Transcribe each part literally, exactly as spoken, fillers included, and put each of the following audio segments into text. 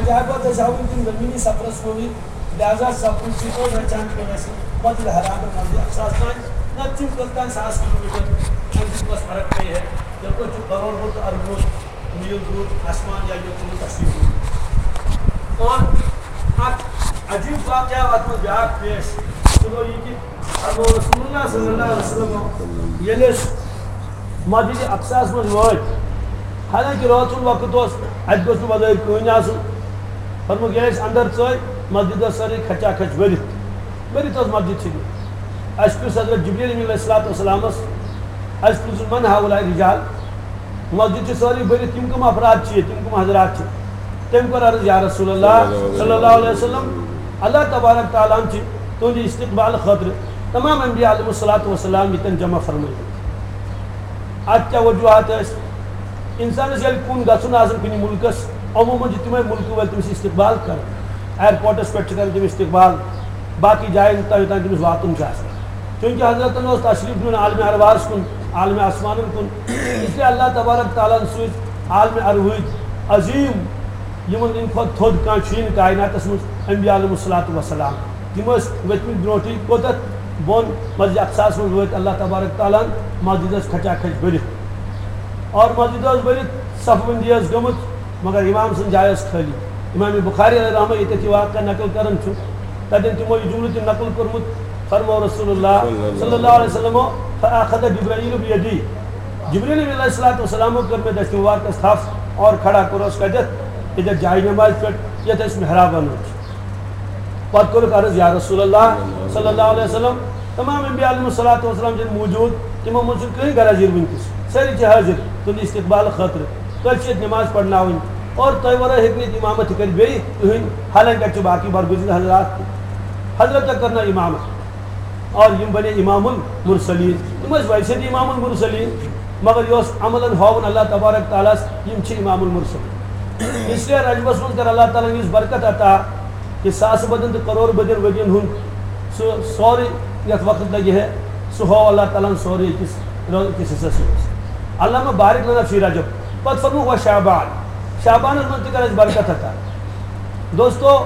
تہٕ ہٮ۪کو أسۍ ہاوٕنۍ تِم زٔمیٖنی سفرس کُنٕے، لہذا سفرٕچ چھِ أڑۍ رچان پیوٚن اَسہِ مسجد حرام پٮ۪ٹھ مسجد اقصاہس تام، نتہٕ چھِ تِم کٔژتام ساس کلوٗ میٖٹر، اَمہِ سۭتۍ کۄس فرق پیٚیہِ ہے؟ یَپٲرۍ چھُ کروڑ بوٚد تہٕ اربہٕ بوٚد میٖل دوٗر آسمان یا یوٚت نہٕ تشریٖف اوٚن۔ اور اکھ عجیٖب واقعہ آو اتھ منٛز بیٛاکھ پیش، سُہ گوٚو یہِ کہِ پتہٕ گوٚو رسول اللہ صلی اللہ علیہ وسلم ییٚلہِ أسۍ مسجد اقصاہس منٛز وٲتۍ، حالانکہ رٲژ ہُنٛد وقت اوس، اتہِ گوٚژھ نہٕ بظٲہر کٕہٕنۍ آسُن۔ فرمووُکھ، ییٚلہِ أسۍ اندر ژٲے، مسجد ٲس سٲرٕے کھچا کھچ بٔرِتھ، بٔرِتھ ٲس مسجد چھٔلِتھ۔ اسہِ پرُژھ حضرت جبریل امین علیہ الصلوۃ والسلامس، اسہِ پرُژھ، من ہؤلاء الرجال؟ مسجد چھِ سٲرٕے بٔرِتھ، یِم کٕم افراد چھِ ییٚتہِ، یِم کٕم حضرات چھِ؟ تٔمۍ کوٚر عرض، یا رسول اللہ صلی اللہ علیہ وسلم، اللہ تبارک تعالیٰ ہن چھِ تُہنٛدِ استقبال خٲطرٕ تمام انبیاء علیہ الصلوۃ والسلام ییٚتٮ۪ن جمع فرمٲومٕتۍ۔ اتھ کیٛاہ وجوہات ٲسۍ؟ انسانس ییٚلہِ کُن گژھُن آسان کُنہِ مُلکس، عموٗماً چھِ تِمے مُلکہٕ وٲلۍ تٔمِس استقبال کران، ایئرپورٹس پٮ۪ٹھ چھِ کران تِم استقبال، باقٕے جاین تام یوٚتام تٔمِس واتُن چھُ آسان۔ چوٗنٛکہِ حضرتن اوس تشریٖف نیُن عالمِ ارواحس کُن، عالمِ آسمانن کُن، اس لیے اللہ تبارک تعالیٰ ہن سوٗزۍ عالمِ ارواحٕکۍ عظیٖم، یِمن ہٕنٛدِ کھۄتہٕ تھوٚد کانٛہہ چھُیی نہٕ کائناتس منٛز، انبیاء علیہ الصلوۃ والسلام۔ تِم ٲسۍ ؤتھمٕتۍ برونٛٹھٕے کوٚت؟ بۄن مسجد اقصاہس منٛز وٲتۍ اللہ تبارک تعالیٰ ہن، مسجد ٲس کھچا کھچ بٔرِتھ، اور مسجد ٲس بٔرِتھ، صف بندی ٲس گٔمٕژ، مگر امام سٕنٛز جاے ٲس خٲلی۔ امام بخاری علیہ رحمہ ییٚتٮ۪تھ یہِ واقعہ نقل کران چھُ، تتٮ۪ن تِمو یہِ جملہٕ تہِ نقل کوٚرمُت، فرموو رسول اللہ صلی اللہ علیہ وسلم، فاخذ جبرائیل بیدی، جبریل علیہ الصلوۃ والسلامو کٔر مےٚ دٔچھنہِ مبارکس تھپھ اور کھڑا کوٚرُس کتٮ۪تھ؟ ییٚتٮ۪تھ جایہِ نمازِ پٮ۪ٹھ، یتھ أسۍ محراب ونان چھِ۔ پتہٕ کوٚرُکھ عرض، یا رسول اللہ صلی اللہ علیہ وسلم، تمام انبیاء علیہ الصلوۃ والسلام چھِ موجود، تِمو منٛز چھُنہٕ کٕہٕنۍ غیر حٲضِر وٕنکیٚس، سٲری چھِ حٲضِر تُہنٛدِ استقبال خٲطرٕ، تۄہہِ چھِ ییٚتہِ نماز پرناوٕنۍ اور تۄہہِ ورٲے ہیٚکہِ نہٕ ییٚتہِ امامت تہِ کٔرِتھ بیٚیہِ کٕہٕنۍ، حالانکہ اَتہِ چھِ باقٕے برگزیدٕ حضرات تہِ۔ حضرت کیٛاہ کرناو امامت؟ اور یِم بنے امام المرسلین، تِم ٲسۍ ویسے تہِ امام المرسلین، مگر یہِ اوس عملاً ہاوُن اللہ تبارک تعالیٰ ہس، یِم چھِ امام المرسلین۔ اس لیے رجبس منٛز کر اللہ تعالیٰ ہن یُس برکت عطا، کہ ساسہٕ بدٮ۪ن تہٕ کرور بدٮ۪ن ؤرین ہُنٛد سُہ سورُے یتھ وقت لگہِ ہے، سُہ ہاو اللہ تعالیٰ ہن سورُے أکِس رٲژ، أکِس حصس منٛز۔ علامہ بارک لنا فی رجب، پتہٕ فرموو، و شعبان، شعبانس منٛز تہِ کر اَسہِ برکت عطا۔ دوستو،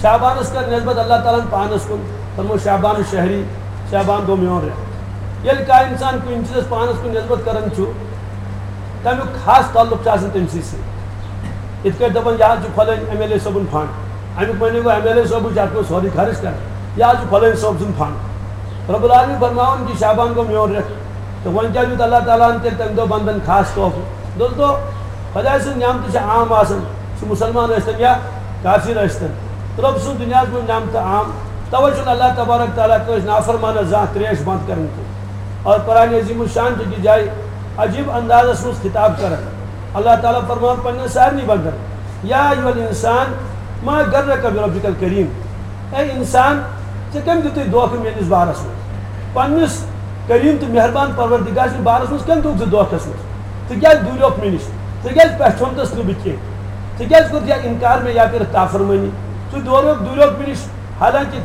شعبانس کر نسبت اللہ تعالیٰ ہن پانس کُن، فرموو، شعبان شہری، شعبان گوٚو میون رٮ۪تھ۔ ییٚلہِ کانٛہہ انسان کُنہِ چیٖزس پانس کُن نسبت کران چھُ، تمیُک خاص تعلق چھُ آسان تٔمۍ سٕے سۭتۍ۔ یِتھ کٲٹھۍ دپان، یہِ حظ چھُ فلٲنۍ ایم ایل اے صٲبُن فنڈ، امیُک معنی گوٚو ایم ایل اے صٲبٕے چھُ اتھ منٛز سورُے خرٕچ کران، یہِ حظ چھُ فلٲنۍ صٲب سُنٛد فنڈ۔ رب العالمین فرماوان کہِ شعبان گوٚو میون رٮ۪تھ، تہٕ وۄنۍ کیٛاہ دیُت اللہ تعالیٰ ہن تیٚلہِ تمہِ دۄہ بندن خاص تحفہٕ؟ دوستو، خۄداے سٕنٛز نعمتہٕ چھِ عام آسان، سُہ مُسلمان ٲسۍتن یا کافر ٲسۍتن۔ رۄب سٕنٛز دُنیاہس منٛز نعمتہٕ عام، توے چھُنہٕ اللہ تبارک تعالیٰ کٲنٛسہِ نافرمانس زانٛہہ تریش بنٛد کران کینٛہہ۔ اور قرآن عظیم الشان چھُ أکِس جایہِ عجیب اندازس منٛز خطاب کران۔ اللہ تعالیٰ فرماوان پننٮ۪ن سارنٕے بندن، یا ایھا الانسان ما غرک بربک الکریم، اے انسان، ژےٚ کٔمۍ دیُتُے دھوکہٕ میٲنِس بارس منٛز؟ پننِس کریم تہٕ مہربان پروردگار سٕنٛدِس بارس منٛز کٔمۍ دیُت ژےٚ دھوکس منٛز؟ ژٕ کیٛازِ دوٗریوکھ مےٚ نِش؟ ژےٚ کیٛازِ پہچھونتس نہٕ بہٕ کینٛہہ؟ ژےٚ کیٛازِ کوٚرُتھ یا انکار مےٚ یا کٔرٕتھ نافرمٲنی؟ ژٕ دوٗریوکھ، دوٗریوکھ مےٚ نِش، حالانکہ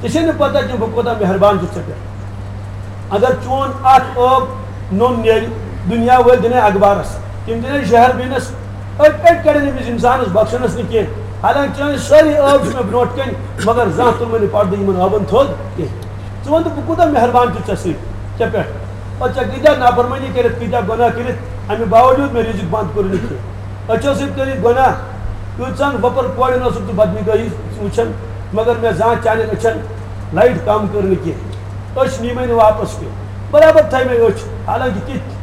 ژےٚ چھے نہٕ پتہ کینٛہہ بہٕ کوٗتاہ مہربان چھُس ژےٚ پٮ۪ٹھ۔ اگر چون اکھ ٲب نوٚن نیرِ، دُنیا وٲلۍ دِنے اخبارس، تِم دِنے شہر بیٖنس، أٹۍ أٹۍ کڑن أمِس انسانس، بخشنس نہٕ کینٛہہ۔ حالانکہ چٲنۍ سٲری ٲب چھِ مےٚ برونٛٹھ کنہِ، مگر زانٛہہ تُل مےٚ نہٕ پردٕ یِمن ٲبن تھوٚد کینٛہہ۔ ژٕ وَن تہٕ بہٕ کوٗتاہ مہربان چھُس ژےٚ سۭتۍ، ژےٚ پٮ۪ٹھ؟ اور ژےٚ کۭتیٛاہ نافرمٲنی کٔرِتھ، کۭتیٛاہ گۄناہ کٔرِتھ، اَمہِ باوجوٗد مےٚ رِزِق بنٛد کوٚرُے نہٕ کینٛہہ۔ أچھو سۭتۍ کٔرِتھ گۄناہ، کۭژہن وۄپر کورٮ۪ن اوسُکھ ژٕ بدنگٲہی وٕچھان، مگر مےٚ زانٛہہ چانٮ۪ن أچھن لایٹ کم کٔر نہٕ کینٛہہ۔ أچھ نی مےٚ نہٕ واپس کینٛہہ، برابر تھایہِ مےٚ أچھ، حالانکہ تِتھۍ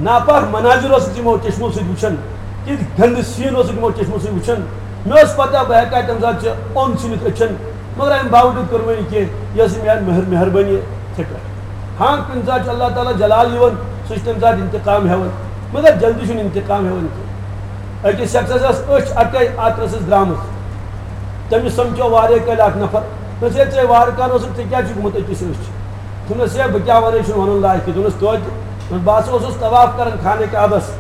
ناپاک مناظر اوسُکھ یِمو چشمو سۭتۍ وٕچھان، تِتھۍ گندٕ سیٖن اوسُکھ یِمو چشمو سۭتۍ وٕچھان۔ مےٚ اوس پتہ بہٕ ہٮ۪کہٕ ہا تمہِ ساتہٕ ژےٚ اوٚن ژھٕنِتھ أچھن، مگر امہِ باوجوٗد کٔر مےٚ یہِ کینٛہہ، یہِ ٲس مےٚ مہر-، مہربٲنی ژےٚ پٮ۪ٹھ۔ ہاں، کُنہِ ساتہٕ چھُ اللہ تعالیٰ جلال یِوان، سُہ چھُ تمہِ ساتہٕ انتقام ہٮ۪وان، مگر جلدی چھُنہٕ انتقام ہٮ۪وان کینٛہہ۔ أکِس شخصس ٲس أچھ اکے اتھ رسس درامٕژ، تٔمِس سمکھیو واریاہ کٲلۍ اکھ نفر، دوٚپُس، "ہے، ژےٚ وارٕ کارٕ اوسُکھ، ژےٚ کیٛازِ چھُکھ گوٚمُت أکِس أچھ؟" دوٚپنس، "ہے، بہٕ کیٛاہ وَنَے، چھُنہٕ وَنُن لایق کینٛہہ۔" دوٚپنس، "توتہِ؟" دوٚپنس، "بہٕ ہسا اوسُس طواف کران خانہ کعبس،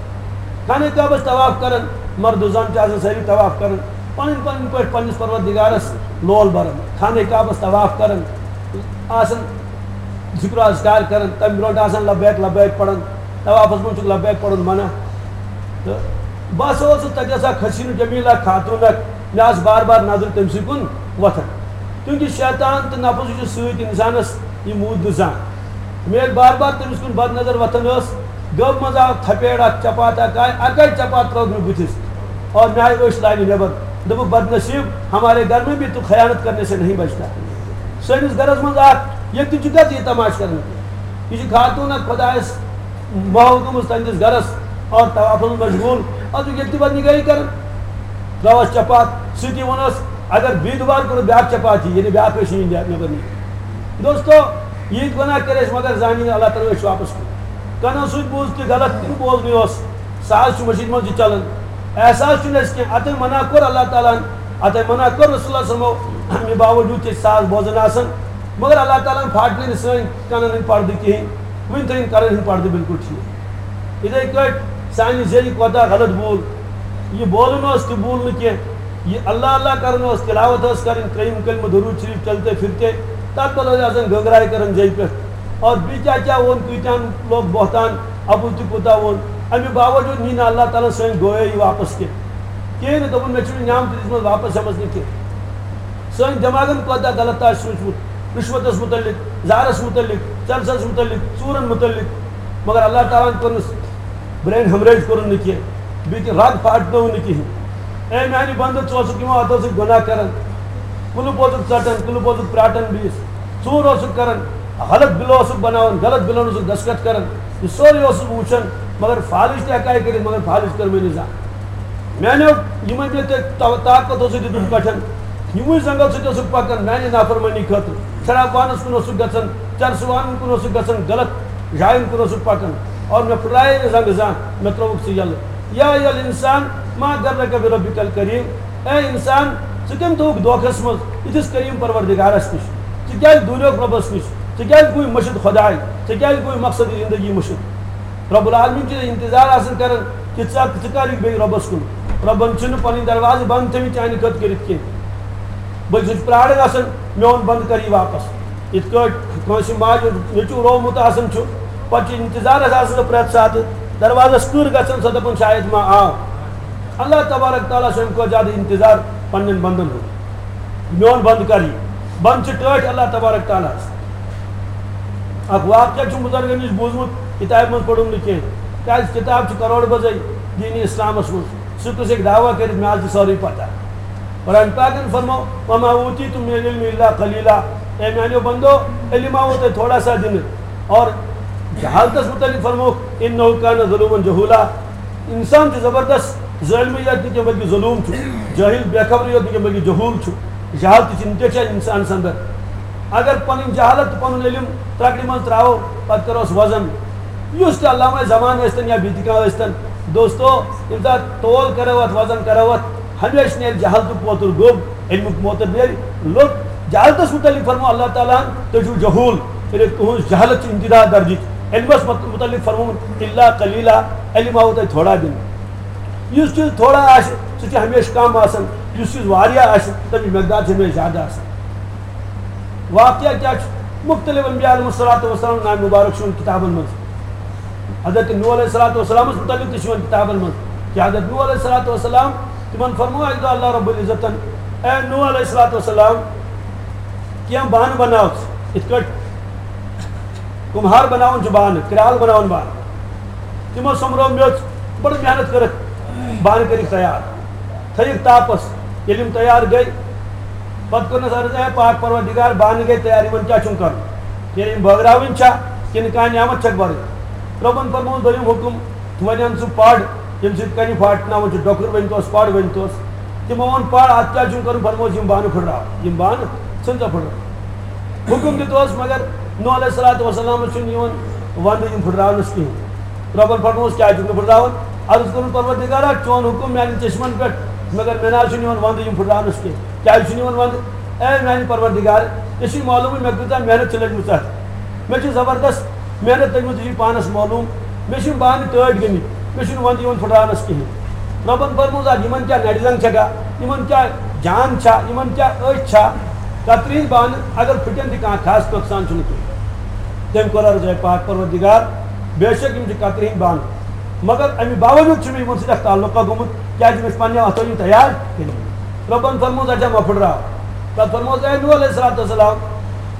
خانہ کعبس طواف کران، مرد و زن چھِ آسان سٲری طواف کران، پنٕنۍ پنٕنۍ پٲٹھۍ پننِس پروردگارس لول بران، خانہ کعبس طواف کران، آسان ذکر و اذکار کران، تمہِ برونٛٹھ آسان لبیک لبیک پران، طوافس منٛز چھُکھ لبیک پرُن منع۔" تہٕ بہٕ ہسا اوسُس تَتہِ ٲس اکھ حسیٖن جمیٖل اکھ خاتوٗن اکھ، مےٚ آسہٕ بار بار نظرِ تٔمۍ سٕے کُن وۄتھان۔ کیونکہ شیطان تہٕ نفس چھُ سۭتۍ اِنسانس، یہِ موٗد نہٕ زانٛہہ۔ مےٚ ییٚلہِ بار بار تٔمِس کُن بد نظر وۄتھان ٲس، گٲو منٛز آو تھپیڑ اکھ، چپاتھ اکھ آے، اکے چپاتھ ترٲوٕکھ مےٚ بٕتھِس اور مےٚ آیہِ أچھ لاینہٕ نٮ۪بر۔ دوٚپُکھ، "بدنصیٖب، ہمارے گھر میں بھی تو خیانت کرنے سے نہیں بچتا۔" سٲنِس گرس منٛز اکھ، ییٚتہِ تہِ چھُ گژھِ یہِ تماشہٕ کرنہٕ۔ یہِ چھِ خاتوٗن اکھ خۄدایس محو گٔمٕژ تہنٛدِس گرس اور طوافس منٛز مشغوٗل۔ اتھ چھُ ییٚتہِ تہِ بدنگٲہی کران۔ ترٲوس چپاتھ، سۭتی ووٚنُس، اگر بیٚیہِ دُبارٕ کوٚرُکھ بیٛاکھ چپاتھ یہِ، یعنی بیٛاکھ ٲسۍ یِہِنٛدۍ نٮ۪بر نِنۍ۔ دوستو، ییٖتۍ گۄناہ کٔرۍ اَسہِ، مگر زانہِ نہٕ اللہ تعالیٰ أسۍ چھِ واپس کُن۔ کَنو سۭتۍ بوٗز تہِ غلط، تہِ نہٕ بوزنٕے اوس۔ سُہ حظ چھُ مٔشیٖد منٛز تہِ چلان۔ احساس چھُنہٕ اَسہِ کینٛہہ۔ اَتَے منع کوٚر اللہ تعالیٰ ہَن، اَتَے منع کوٚر رسول اللہ صلی اللہ علیہ وسلمو، اَمہِ باوجوٗد چھِ أسۍ ساز بوزان آسان، مگر اللہ تعالیٰ ہَن پھاٹنٲے نہٕ سٲنۍ کَنَن ہٕنٛدۍ پردٕ کِہیٖنۍ۔ وٕنہِ تھٲیِن کَنَن ہٕنٛدۍ پردٕ بالکل ٹھیٖک۔ یِتھَے کٲٹھۍ سانہِ ذٔریعہٕ کوتاہ غلط بوٗل، یہِ بولُن اوس تہِ بوٗل نہٕ کینٛہہ، یہِ اللہ اللہ کرُن اوس، تلاوت ٲس کرٕنۍ، ترٛیٚیِم کلمہٕ درود شریف چلتے پھرتے، تتھ بدلہٕ ٲسۍ آسان گنگراے کران جیٚیہِ پٮ۪ٹھ۔ اور بیٚیہِ کیٛاہ کیٛاہ ووٚن، کۭتیاہن لوگ بہتان، اَپُز تہِ کوٗتاہ ووٚن، اَمہِ باوجوٗد نی نہٕ اللہ تعالیٰ ہن سٲنۍ گویٲیی واپس کینٛہہ۔ کِہیٖنۍ نہٕ، دوٚپُن، "مےٚ چھُنہٕ نعمت دِژمٕژ واپس ہٮ۪مس نہٕ کینٛہہ۔" سٲنۍ دٮ۪ماغن کوتاہ غلط آسہِ سوٗنٛچمُت، رِشوتس مُتعلق، زہرس مُتعلق، چرسس مُتعلق، ژوٗرن مُتعلق، مگر اللہ تعالیٰ ہن کوٚر نہٕ brain hemorrhage کوٚرُن نہٕ کینٛہہ، بیٚیہِ کینٛہہ رگ پھاٹنوو نہٕ کِہیٖنۍ۔ اے میانہِ بندٕ، ژٕ اوسُکھ یِوان، اتھ اوسُکھ گۄناہ کران، کُلہٕ پوزُک ژٹان، کُلہٕ پوزُک پراٹان بیٚیِس، ژوٗر اوسُکھ کران، غلط بِلہٕ اوسُکھ بناوان، غلط بِلن اوسُکھ دستخط کران، یہِ سورُے اوسُس بہٕ وٕچھان، مگر فالِج تہِ ہٮ۪کہٕ ہا کٔرِتھ، مگر فالِج کٔر مےٚ نہٕ زانٛہہ۔ میانیو یِمن مےٚ تۄہہِ طا-، طاقت اوسُکھ دیُتمُت پٮ۪ٹھن، یِموٕے زنٛگو سۭتۍ اوسُکھ پکان میانہِ نافرمٲنی خٲطرٕ۔ شراب وانس کُن اوسُکھ گژھان، چرسہٕ وانن کُن اوسُکھ گژھان، غلط جاین کُن اوسُکھ پکان۔ اور مےٚ پھُٹرایے نہٕ زنٛگہٕ زانٛہہ، مےٚ ترٛووُکھ ژٕ یَلہٕ۔ یا ایھا الانسان ما غرک بربک الکریم۔ اے انسان، ژٕ کٔمۍ تھوٚوُکھ دھوکھس منٛز یِتھِس کریم پروردگارس نِش؟ ژٕ کیازِ دوٗریوکھ رۄبس نِش؟ ژٕ کیازِ گوٚوُے مٔشِد خۄداے؟ ژٕ کیازِ گوٚوُے مقصد زندگی مٔشِد؟ رب العالمین چھُ انتظار آسان کران کہ ژٕ، ژٕ کر یِکھ بیٚیہِ رۄبس کُن۔ رۄبن چھِنہٕ پنٕنۍ دروازٕ بنٛد تھٲمٕتۍ چانہِ خٲطرٕ کٔرِتھ کینٛہہ۔ بلکہِ سُہ چھُ پراران آسان، میون بنٛد کر یہِ واپس۔ یِتھ کٲٹھۍ کٲنٛسہِ ماجہِ ہُنٛد نیٚچوٗ روومُت آسان چھُ، پتہٕ چھُ انتظارس آسان سۄ پرٛٮ۪تھ ساتہٕ، دروازس کٕر گژھان، سۄ دپان، "شاید ما آو۔" اللہ تبارک تعالیٰ چھُ امہِ کھۄتہٕ زیادٕ انتظار پننٮ۪ن بندن ہُنٛد۔ میون بنٛد کر یہِ۔ بنٛد چھِ ٹٲٹھۍ اللہ تبارک تعالیٰ ہس۔ اکھ واقعہ چھُ بُزرگن نِش بوٗزمُت، کِتابہِ منٛز پوٚرُم نہٕ کینٛہہ، کیازِ کِتاب چھِ کروڑ بجے دینی اسلامس منٛز۔ سُہ کُس ہیٚکہِ دعویٰ کٔرِتھ، مےٚ حظ چھِ سورُے پتہ۔ قرآن پاکن فرمو، "وما اوتیتم من العلم الا قلیلا"۔ اے میانیو بندو، علم آو تۄہہِ تھوڑا سا دِنہٕ۔ اور جہالتس متعلق فرمو، "انہ کان ظلوما جہولا"۔ انسان چھُ زبردست ظٲلمٕے یوت نہٕ کینٛہہ، بلکہِ ظلوٗم چھُ۔ جٲہِل بے خبرٕے یوت نہٕ کینٛہہ، بلکہِ جہوٗل چھُ۔ جہالت تہِ چھِ اِنسانَس اندر۔ اگر پنٕنۍ جہالت تہٕ پنُن علم ترٛکرِ منٛز ترٛاوو، پتہٕ کروس وزن۔ یُس تہِ علامہ زمان ٲسۍتن یا بیٚیہِ تہِ کانٛہہ ٲسۍتن، دوستو، ییٚمہِ ساتہٕ تول کرو اتھ، وزن کرو اتھ، ہمیشہِ نیرِ جہالتُک پوتُر گوٚب، علمُک پوتُر نیرِ لوٚت۔ جہالتس متعلق فرمو اللہ تعالیٰ ہن، "تُہۍ چھِو جہوٗل"، یعنی تُہنٛز جہالت چھِ انتہا درجٕچ۔ علمس مت-، متعلق فرمومُت، "الا قلیلا"، علم آوُ تۄہہِ تھوڑا دِنہٕ۔ یُس چیٖز تھوڑا آسہِ، سُہ چھُ ہمیشہِ کم آسان، یُس چیٖز واریاہ آسہِ، تَمِچ مقدار چھِ ہمیشہِ زیادٕ آسان۔ واقعہ کیٛاہ چھُ؟ مُختٔلِف انبیاء علیہم الصلوۃ والسلام ناوِ مُبارک چھُ یِوان کِتابن منٛز۔ حضرت نوح علیہ الصلوۃ والسلامس مُتعلِق تہِ چھُ یِوان کِتابن منٛز کہ حضرت نوح علیہ الصلوۃ والسلام، تِمن فرموو اکہِ دۄہ اللہ رب العزتن، "اے نوح علیہ الصلوۃ والسلام، کینٛہہ بانہٕ بناو ژٕ، یِتھ کٲٹھۍ کُمہار بناوان چھُ بانہٕ، کرٛال بناوان بانہٕ۔" تِمو سۄمبرٲو میٚژ، بٔڑ محنت کٔرٕکھ بانہٕ کٔرِکھ تیار، تھٲیِکھ تاپس۔ ییٚلہِ یِم تیار گٔے، پتہٕ کوٚرنس عرض، "اے پاک پروردگار، بانہٕ گٔے تیار، یِمن کیٛاہ چھُم کرُن؟ یعنی یِم بٲگراوٕنۍ چھا کِنہٕ کانٛہہ نعمت چھکھ برٕنۍ؟" رۄبن فرمووُن دوٚیِم حُکُم، وۄنۍ اَن ژٕ پڑ، ییٚمہِ سۭتۍ کنہِ پھاٹناوان چھِ، ڈۄکھُر ؤنۍ توس، پڑ ؤنۍ توس۔ تِمو ووٚن، "پڑ، اتھ کیٛاہ چھُم کرُن؟" فرمووُس، "یِم بانہٕ پھُٹراو، یِم بانہٕ ژھٕن سا پھُٹراو۔" حُکُم دیُت اوس، مگر نوح علیہ الصلوۃ والسلامس چھُنہٕ یِوان وندٕ یِم پھُٹراونس کِہیٖنۍ۔ رۄبن فرمووُس، "کیٛازِ چھُکھ نہٕ پھُٹراوان؟" عرض کوٚرُن، "پروردگارا، چون حُکُم میانٮ۪ن چشمن پٮ۪ٹھ، مگر مےٚ نہ حظ چھُنہٕ یِوان وندٕ یِم پھُٹراونس کینٛہہ۔" کیٛازِ چھُنہٕ یِوان وندٕ؟ اے میانہِ پروردگار، ژےٚ چھُے معلومٕے مےٚ کۭژاہ محنت چھِ لٔجمٕژ اتھ۔ مےٚ چھِ زبردست محنت لٔجمٕژ، یہِ چھُے پانس معلوم۔ مےٚ چھِ یِم بانہٕ ٹٲٹھۍ گٔمٕتۍ، مےٚ چھُنہٕ وندٕ یِوان پھُٹراونس کِہیٖنۍ۔ رۄبن فرموو، "اتھ یِمن کیٛاہ نرِ زنٛگ چھکھا، یِمن کیٛاہ جان چھا، یِمن کیٛاہ أچھ چھا؟ کترِ ہٕنٛدۍ بانہٕ اگر پھُٹن تہِ کانٛہہ خاص نۄقصان چھُنہٕ کینٛہہ۔" تٔمۍ کوٚر عرض، "اے پاک پروردگار، بے شک یِم چھِ کترِ ہٕنٛدۍ بانہٕ۔" مگر امہِ باوجود چھُ مےٚ یِمن سۭتۍ اکھ تعلقہ گوٚمُت، کیازِ مےٚ چھِ پننہِ اتھو یِم تیار کٔرمٕتۍ۔ رۄبن فرموو، اچھا، مہ پھٕٹراو۔ پتہٕ فرمووس، اے نوح علیہ الصلوۃ والسلام،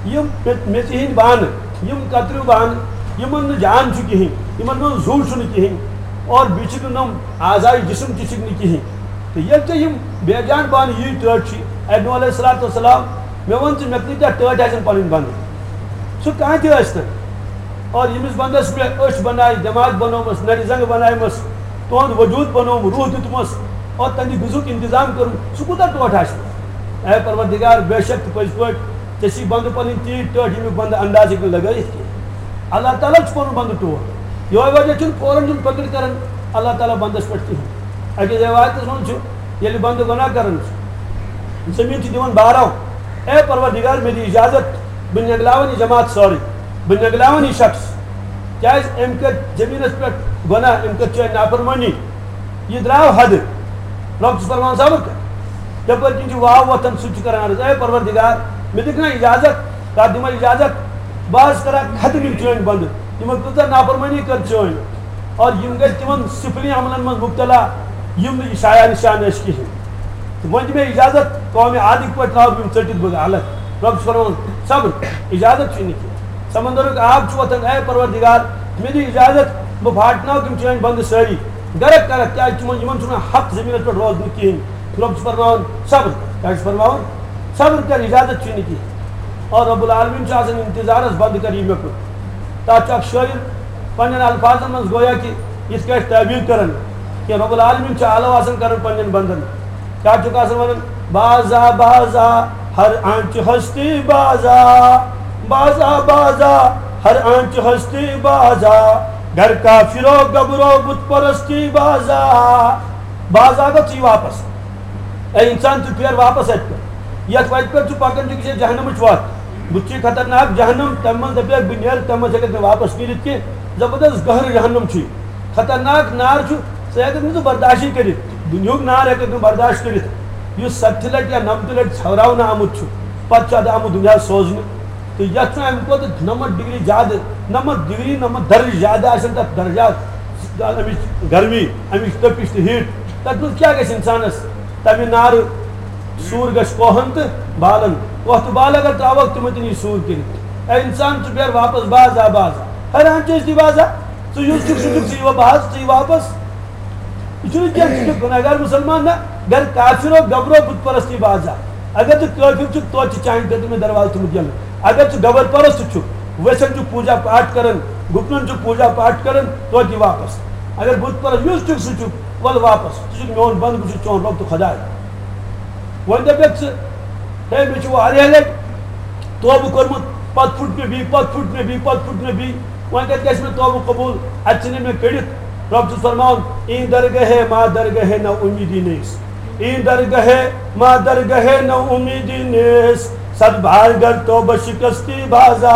یِم مےٚ، مےٚ ژےٚ ہِنٛدۍ بانہٕ، یِم کتریو بانہٕ، یِمن نہٕ جان چھُ کِہیٖنۍ، یِمن منٛز زُو چھُنہٕ کِہیٖنۍ، اور بیٚیہِ چھِکھ نہٕ نۄم اعضاے جسم تہِ چھِکھ نہٕ کِہیٖنۍ۔ تہٕ ییٚلہِ ژےٚ یِم بے جان بانہٕ یی ٹٲٹھۍ چھِ، اے نوح علیہ الصلوۃ والسلام، مےٚ وَن ژٕ، مےٚ کۭتیٛاہ ٹٲٹھۍ آسن پنٕنۍ بنٛدٕ؟ سُہ کانٛہہ تہِ ٲسۍ تن۔ اور ییٚمِس بندس مےٚ أچھ بنایہِ، دٮ۪ماغ بنوومس، نرِ زنٛگہٕ بنایمس، تُہُنٛد وجوٗد بنووُم، روح دیُتمس، اور تہنٛدِ غذہُک انتظام کوٚرُم، سُہ کوٗتاہ ٹوٹھ آسہِ؟ اے پروردگار، بے شک تہٕ پٔزۍ پٲٹھۍ ژےٚ چھی بندٕ پنٕنۍ تیٖتۍ ٹٲٹھۍ، ییٚمیُک بندٕ انداز ہیٚکہِ نہٕ لگٲیِتھ کینٛہہ۔ اللہ تعالیٰ چھُ پنُن بندٕ ٹوٹھ۔ یِہوے وجہ چھُنہٕ فوراً دیُن پکڑ کران اللہ تعالیٰ بندس پٮ۪ٹھ کِہیٖنۍ۔ أکِس رِوایتس منٛز چھُ، ییٚلہِ بندٕ گۄناہ کران چھُ، زٔمیٖن چھِ دِوان بارو، اے پروردگار، مےٚ دِ اجازت، بہٕ نٮ۪گلاون یہِ جماعت سٲرٕے، بہٕ نٮ۪گلاون یہِ شخص، کیازِ أمۍ کٔر زٔمیٖنس پٮ۪ٹھ گۄناہ، أمۍ کٔر چٲنۍ نافرمٲنی، یہِ درٛاو حدٕ۔ رۄب چھُس فرماوان، صبر کر، یپٲرۍ کِنۍ چھُ واو وۄتھان، سُہ تہِ چھُ کران عرض، اے پروردگار، مےٚ دِکھ نا اجازت، کر دِمے اجازت، بہٕ حظ کرٕ ختم یِم چٲنۍ بندٕ، یِمو کۭژاہ نافرمٲنی کٔر چٲنۍ۔ اور یِم گٔے تِمن سفلی عملن منٛز مبتلا، یِم نہٕ شایان نشان ٲسۍ کِہینۍ۔ تہٕ وۄنۍ دِ مےٚ اجازت، قومِ عادٕکۍ پٲٹھۍ ترٛاوٕ بہٕ یِم ژٔٹِتھ بہٕ غلط۔ رۄب چھُ فرماوان، صبر، اجازت چھُے نہٕ کینٛہہ۔ سمندرُک آب چھُ وۄتھان، اے پروردگار، مےٚ دِ اجازت، بہٕ پھاٹناوٕ تِم چٲنۍ بندٕ سٲری، غرق کرکھ، کیازِ تِمن، یِمن چھُنہٕ حق زٔمیٖنس پٮ۪ٹھ روزنُک کِہینۍ۔ رۄب چھُ فرماوان، صبر۔ کیٛاہ چھُ فرماوان؟ صبر کر، اجازت چھُے نہٕ کینٛہہ۔ اور رب العالمین چھُ آسان انتظارس، بنٛد کر یہِ مےٚ کُن۔ تتھ چھُ اکھ شٲعر پننٮ۪ن الفاظن منٛز گویا کہِ یِتھ کٲٹھۍ تعبیر کران کہِ رب العالمین چھُ آلو آسان کران پننٮ۪ن بندن۔ کیٛاہ چھُکھ آسان ونان؟ بازا بازا ہر آنچ ہستی بازا، بازا بازا ہر آنچ ہستی بازا، گھر کا فرو گبرو بت پرستی بازا۔ بازا گوٚو ژٕے واپس۔ اے انسان، ژٕ پھیر واپس اتہِ پٮ۪ٹھ۔ یتھ وتہِ پٮ۪ٹھ ژٕ پکان چھُکھ، یہِ چھےٚ جہنمٕچ وتھ۔ بُتھِ چھِ خطرناک جہنم، تمہِ منٛز دپیکھ بہٕ نیرٕ، تمہِ منٛز ہیٚککھ نہٕ واپس نیٖرِتھ کینٛہہ۔ زبردست گہرٕ جہنم چھُ یہِ۔ خطرناک نار چھُ، ژٕ ہیٚککھ نہٕ سُہ برداشٕے کٔرِتھ۔ دُنیہُک نار ہیٚککھ نہٕ برداشت کٔرِتھ۔ یُس ستہِ لٹہِ یا نمتہِ لٹہِ ژھٮ۪وراونہٕ آمُت چھُ، پتہٕ چھُ ادٕ آمُت دُنیاہس سوزنہٕ۔ تہٕ یتھ چھُ امہِ کھۄتہٕ نمتھ ڈگری زیادٕ، نمتھ ڈگری، نمتھ درجہٕ زیادٕ آسن تتھ درجات، امِچ گرمی، امِچ تٔپِش تہٕ ہیٖٹ۔ تتھ منٛز کیٛاہ گژھِ انسانس؟ تمہِ نارٕ سوٗر گژھِ کوہن تہٕ بالن۔ کوہ تہٕ بال اگر ترٛاوکھ، تِمن تہِ نی سوٗر کٔرِتھ۔ اے انسان، ژٕ پھیر واپس، بازا بازا۔ حیران چھِ أسۍ تہِ بازا، ژٕ یُس چھُکھ، سُہ چھُکھ، ژٕ یِوان بازا، ژٕ یہِ واپس۔ یہِ چھُنہٕ کینٛہہ، ژٕ چھُکھ گُناہگار مُسلمان، نہ، گرِ کافرو گبرو بت پرستی بازا۔ اگر ژٕ کٲفر چھُکھ، توتہِ چھِ چانہِ خٲطرٕ مےٚ دروازٕ تھوٚمُت یَلہٕ۔ اگر ژٕ گبر پرست چھُکھ، ویٚسن چھُکھ پوٗجا پاٹھ کران، گُپنن چھُکھ پوٗجا پاٹھ کران، توتہِ یہِ واپس۔ اگر بت پرست یُس چھُکھ، سُہ چھُکھ، وَلہٕ واپس۔ ژٕ چھُکھ میون بنٛدٕ، بہٕ چھُس چون رۄب تہٕ خۄداے۔ وۄنۍ دَپٮ۪کھ ژٕ، ہے، مےٚ چھُ واریاہ لَٹہِ توبہٕ کوٚرمُت، پَتہٕ پھُٹ مےٚ بیٚیہِ، پَتہٕ پھُٹ مےٚ بیٚیہِ، پَتہٕ پھُٹ مےٚ بیٚیہِ۔ وۄنۍ کَتہِ گژھِ مےٚ توبہٕ قبوٗل؟ اَتہِ ژھٕنہِ مےٚ کٔڑِتھ۔ رۄب چھُس فرماوان، "این درگاہ ما درگاہ ناامیدی نیست، این درگاہ ما درگاہ ناامیدی نیست، صد بار گر توبہ شکستی بازا۔"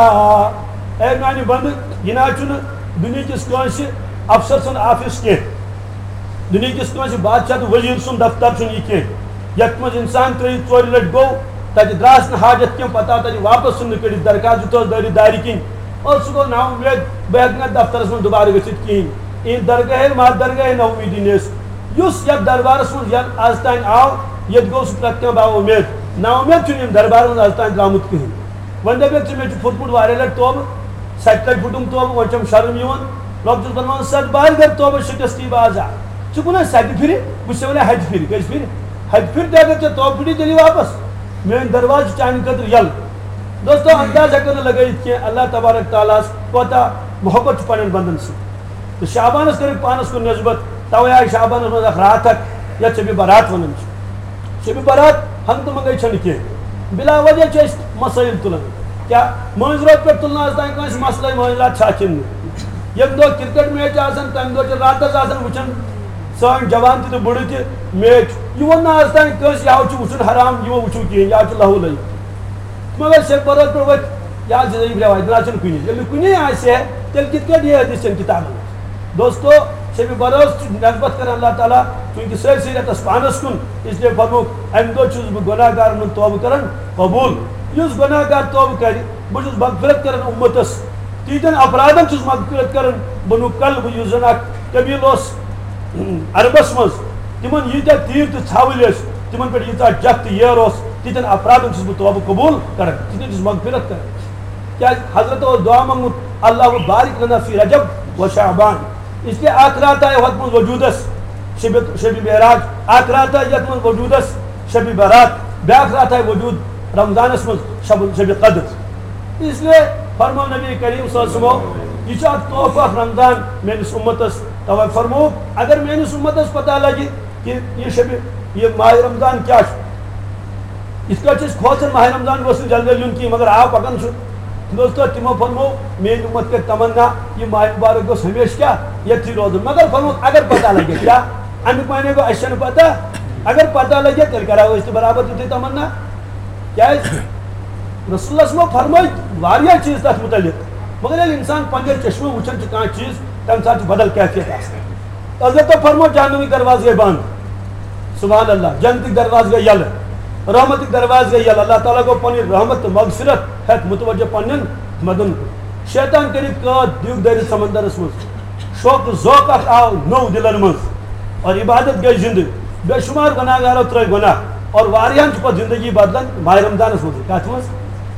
اے میانہِ بندٕ، یہِ نہ چھُنہٕ دُنیہکِس کٲنٛسہِ افسر سُنٛد آفس کینٛہہ، دُنیہکِس کٲنٛسہِ بادشاہ تہٕ وزیر سُنٛد دفتر چھُنہٕ یہِ کینٛہہ، یتھ منٛز انسان ترٛٲوِتھ ژورِ لٹہِ گوٚو، تتہِ درٛاس نہٕ حاجت کینٛہہ، پتہٕ آو تتہِ واپس ژھٕننہٕ کٔڑِتھ، درخاست دیُتہوس دٲرِتھ دارِ کِنۍ، اور سُہ گوٚو نا اُمید، بہٕ ہیٚکہٕ نہٕ دفترس منٛز دُبارٕ گٔژھِتھ کِہیٖنۍ۔ اِہِنٛدِ درگاہے ما درگاہے ناامیدی نیس، یُس یتھ دربارس منٛز ین از تام آو، ییٚتہِ گوٚو سُہ پرٛٮ۪تھ کانٛہہ با اُمید۔ نا اُمید چھُنہٕ یِم دربارس منٛز از تام درٛامُت کِہیٖنۍ۔ وۄنۍ دَپٮ۪کھ ژٕ، مےٚ چھُ پھوٚٹمُت واریاہ لَٹہِ توبہٕ، سَتہِ لَٹہِ پھوٚٹُم توبہٕ، وۄنۍ چھَم شرم یِوان۔ رۄب چھُس فرماوان، "ست بار گر توبہ شکستی بازا۔" ژٕ کُن حظ سَتہِ پھِرِ، بہٕ چھُسے وَنان ہَتہِ پھِرِ، کٔژِ پھِرِ؟ ہَتہِ پھِرِ تہِ اگر ژےٚ توبہٕ پھُٹی تیٚلہِ واپس۔ میٲنۍ دروازٕ چھِ چانہِ خٲطرٕ یَلہٕ۔ دوستو، انداز ہٮ۪کو نہٕ لگٲیِتھ کینٛہہ، اللہ تبارک تعالیٰ ہَس کوٗتاہ محبت چھُ پنٛنٮ۪ن بندن سۭتۍ۔ تہٕ شعبانس کٔرٕکھ پانس کُن نسبت، توے آیہِ شعبانس منٛز اکھ راتھ اکھ، یتھ شبِ برات ونان چھِ۔ شبِ برات ہنگتہٕ منگے چھنہٕ کینٛہہ، بلا وجہ چھِ أسۍ مسٲیل تُلان۔ کیٛاہ مٲنٛزِ رٲژ پٮ۪ٹھ تُلنہٕ آز تام کٲنٛسہِ مسلے مٲنٛزِ راتھ چھا کِنہٕ نہٕ؟ ییٚمہِ دۄہ کرکٹ میچ آسان، تمہِ دۄہ چھِ راتس آسان وٕچھان سٲنۍ جوان تہِ تہٕ بُڑٕ تہِ میچ۔ یہِ ووٚن نہٕ آز تام کٲنٛسہِ، یہِ ہاو چھُ وٕچھُن حرام، یہِ مہ وٕچھِو کِہیٖنۍ، یہِ ہاو چھُ لہو لٲگِتھ۔ مگر شبِ برات پٮ۪ٹھ ؤتھۍ، یہِ حظ چھِ عجیٖب رٮ۪واج، نہ چھُنہٕ کُنہِ۔ ییٚلہِ نہٕ کُنی آسہِ ہے، تیٚلہِ کِتھ کٲٹھۍ یہِ حدیث چٮ۪ن کِتابن منٛز؟ دوستو، شبِ برات چھُ نسبت کران اللہ تعالیٰ چونکہ سٲرسٕے رٮ۪تس پانس کُن، اس لیے فرمووُکھ، "امہِ دۄہ چھُس بہٕ گۄناہ گارن ہُنٛد توبہٕ کران قبوٗل۔" یُس گۄناہ گار توبہٕ کرِ، بہٕ چھُس مغفرت کران اُمتس، تِہنٛدٮ۪ن اپرادن چھُس مغفرت کران۔ بنو کلب، یُس زن اکھ قبیٖلہٕ اوس عربس منٛز، تِمن ییٖتیٛاہ تیٖر تہٕ ژھاوٕلۍ ٲسۍ، تِمن پٮ۪ٹھ ییٖژاہ جکھ تہٕ ییر اوس، تِتھٮ۪ن افرادن چھُس بہٕ توبہٕ قبوٗل کران، تِتھٮ۪ن چھُس مغفرت کران۔ کیٛازِ حضرت اوس دعا منٛگمُت، "اللہم بارک لنا فی رجب و شعبان"۔ اس لیے اکھ رات آیہِ ہۄتھ منٛز وجوٗدس، شبِ، شبِ معراج، اکھ رات آیہِ یتھ منٛز وجوٗدس شبِ برات، بیاکھ رات آیہِ وجوٗد رمضانس منٛز شب، شبِ قدر۔ اس لیے فرموو نبی کریم صلی اللہ علیہ وسلمو، "یہِ چھُ اکھ تحفہٕ اکھ رمضان میٲنِس اُمتس"۔ توے فرموو، اگر میٲنِس اُمتس پتہ لگہِ کہ یہِ شبِ، یہِ ماہِ رمضان کیٛاہ چھُ، یِتھ کٲٹھۍ چھِ أسۍ کھوژان ماہِ رمضان گوٚژھ نہٕ جلدی یُن کینٛہہ، مگر آو پکان چھُ۔ دوستو، تِمو فرموو، میٲنۍ اُمت کرِ تمنا، یہِ ماہِ مبارک گوٚژھ ہمیشہِ کیٛاہ ییٚتھی روزُن۔ مگر فرموو، اگر پتہ لگہِ کیٛاہ، امیُک معنی گوٚو، اَسہِ چھَنہٕ پتہ۔ اگر پتہ لگہِ، تیٚلہِ کرو أسۍ تہِ برابر تِتھُے تمنا۔ کیٛازِ؟ رسول اللہ صٲبو فرمٲے واریاہ چیٖز تَتھ مُتعلِق، مگر ییٚلہِ اِنسان پنٛنٮ۪و چشمو وٕچھان چھُ کانٛہہ چیٖز، تَمہِ ساتہٕ چھُ بدل کیفیت آسان۔ حضرتو فرموو، جہنمٕکۍ دروازٕ گٔے بنٛد۔ سبحان اللہ، جنتٕکۍ دروازٕ گٔے یَلہٕ، رحمتٕکۍ دروازٕ گٔے یَلہٕ۔ اللہ تعالیٰ گوٚو پنٕنۍ رحمت تہٕ مغفرت ہٮ۪تھ متوجہ پننٮ۪ن مدن کُن۔ شیطان کٔرِکھ قٲد دیوٗ دٲرِتھ سمندرس منٛز۔ شوق ذوق اکھ آو نوٚو دِلن منٛز اور عبادت گٔے زِندٕ۔ بے شمار گۄناہ گارو ترٲے گۄناہ اور واریاہن چھُ پتہٕ زندگی بدلان ماہِ رمضانس منٛز۔ کتھ منٛز؟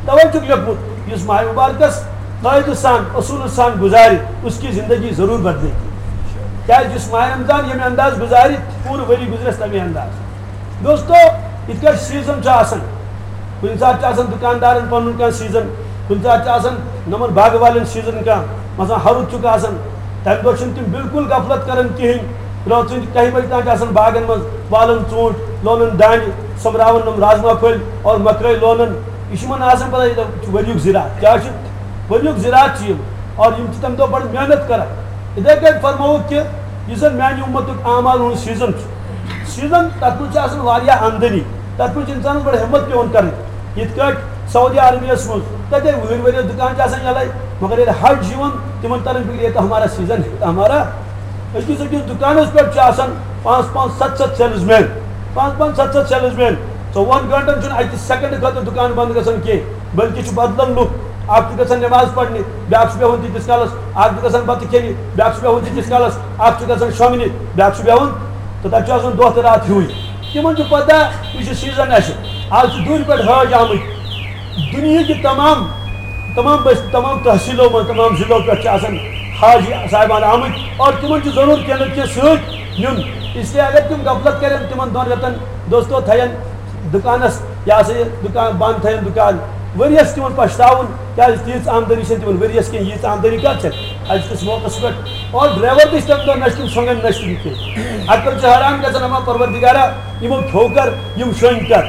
توے چھُکھ لیوٚکھمُت، یُس ماہِ مبارکس قٲعدٕ سان، اصوٗلہٕ سان گُزارِ، اس کی زندگی ضروٗر بدلے گی۔ کیٛازِ یُس ماہِ رمضان ییٚمہِ انداز گُزارِ، پوٗرٕ ؤری گُزرٮ۪س تَمے انداز۔ دوستو، یِتھ کٲٹھۍ سیٖزن چھُ آسان، کُنہِ ساتہٕ چھُ آسان دُکاندارن پنُن کانٛہہ سیٖزن، کُنہِ ساتہٕ چھُ آسان نۄمن باغہٕ والٮ۪ن سیٖزن کانٛہہ، مثلاً ہرُد چھُکھ آسان، تَمہِ دۄہ چھِنہٕ تِم بالکل غفلت کران کِہینۍ۔ رٲژ ہٕنٛدِ کَہہِ بجہِ تام چھِ آسان باغن منٛز، والان ژوٗنٛٹھۍ، لونان دانہِ، سۄمبراوان نۄم رازما پھٔلۍ اور مکٲے لونان۔ یہِ چھُ یِمن آسان پتہ، یہِ چھُ ؤریُک زِراعت۔ کیٛاہ چھُ؟ ؤریُک زِراعت چھُ یِم۔ اور یِم چھِ تَمہِ دۄہ بڑٕ محنت کران۔ یِتھے کٲٹھۍ فرمووُکھ کہِ یُس زن میانہِ اُمتُک اعمال ہُنٛد سیٖزن چھُ، سیٖزن، تَتھ منٛز چھِ آسان واریاہ آمدنی، تَتھ منٛز چھِ اِنسانَس بڑٕ ہمت پٮ۪وان کَرٕنۍ۔ یِتھ کٲٹھۍ سعودی عربیَس منٛز، تَتہِ وُہِرۍ ؤرۍ یَس دُکان چھِ آسان یَلَے، مگر ییٚلہِ حج چھُ یِوان، تِمَن تَران فِکرِ، "یہِ تہٕ ہمارا سیٖزن ہے، یہِ تہٕ ہمارا۔" أکِس أکِس دُکانَس پٮ۪ٹھ چھِ آسان پانٛژھ پانٛژھ، ستھ ستھ سیلٕز مین، پانٛژھ پانٛژھ، ستھ ستھ سیلٕز مین۔ ژۄوُہَن گٲنٛٹَن چھُنہٕ اَکہِ سیکنڈٕ خٲطرٕ دُکان بنٛد گژھان کینٛہہ، بلکہِ چھُ بدلان لُکھ۔ اکھ چھُ گژھان نماز پرنہِ، بیٛاکھ چھُ بیٚہوان تیٖتِس کالس، اکھ چھُ گژھان بتہٕ کھیٚنہِ، بیٛاکھ چھُ بیٚہوان تیٖتِس کالس، اکھ چھُ گژھان شۄنٛگنہِ، بیٛاکھ چھُ بیٚہوان، تہٕ تَتہِ چھُ آسان دۄہ تہٕ راتھ ہیوٗے۔ تِمن چھُ پتہ، یہِ چھُ سیٖزن اَسہِ۔ آز چھِ دوٗرِ پٮ۪ٹھ حٲج آمٕتۍ، دُنیہٕکہِ تمام، تمام بس-، تمام تحصیٖلو منٛز، تمام ضلعو پٮ۪ٹھ چھِ آسان حاجی صاحبان آمٕتۍ، اور تِمن چھُ ضروٗر کینٛہہ نتہٕ کینٛہہ سۭتۍ نیُن۔ اس لیے اگر تِم غفلت کرن، تِمن دۄن رٮ۪تن دوستو تھاین دُکانَس، یہِ ہسا یہِ دُکان بنٛد تھٲیِن دُکان۔ ؤریَس تِمَن پَشتاوُن، کیٛازِ تیٖژ آمدنی چھَنہٕ تِمَن ؤریَس کینٛہہ، ییٖژ آمدنی کَتھ چھَکھ أزکِس موقعَس پٮ۪ٹھ؟ اور ڈرٛایوَر تہِ چھِ تَمہِ دۄہ نہ چھِ تِم شۄنٛگان، نہ چھِ تِم کینٛہہ۔ اَتہِ پٮ۪ٹھ چھِ حٲران گژھان، اَما پروردِگارا، یِمو کھیوٚو کَر، یِم شۄنٛگۍ کَر؟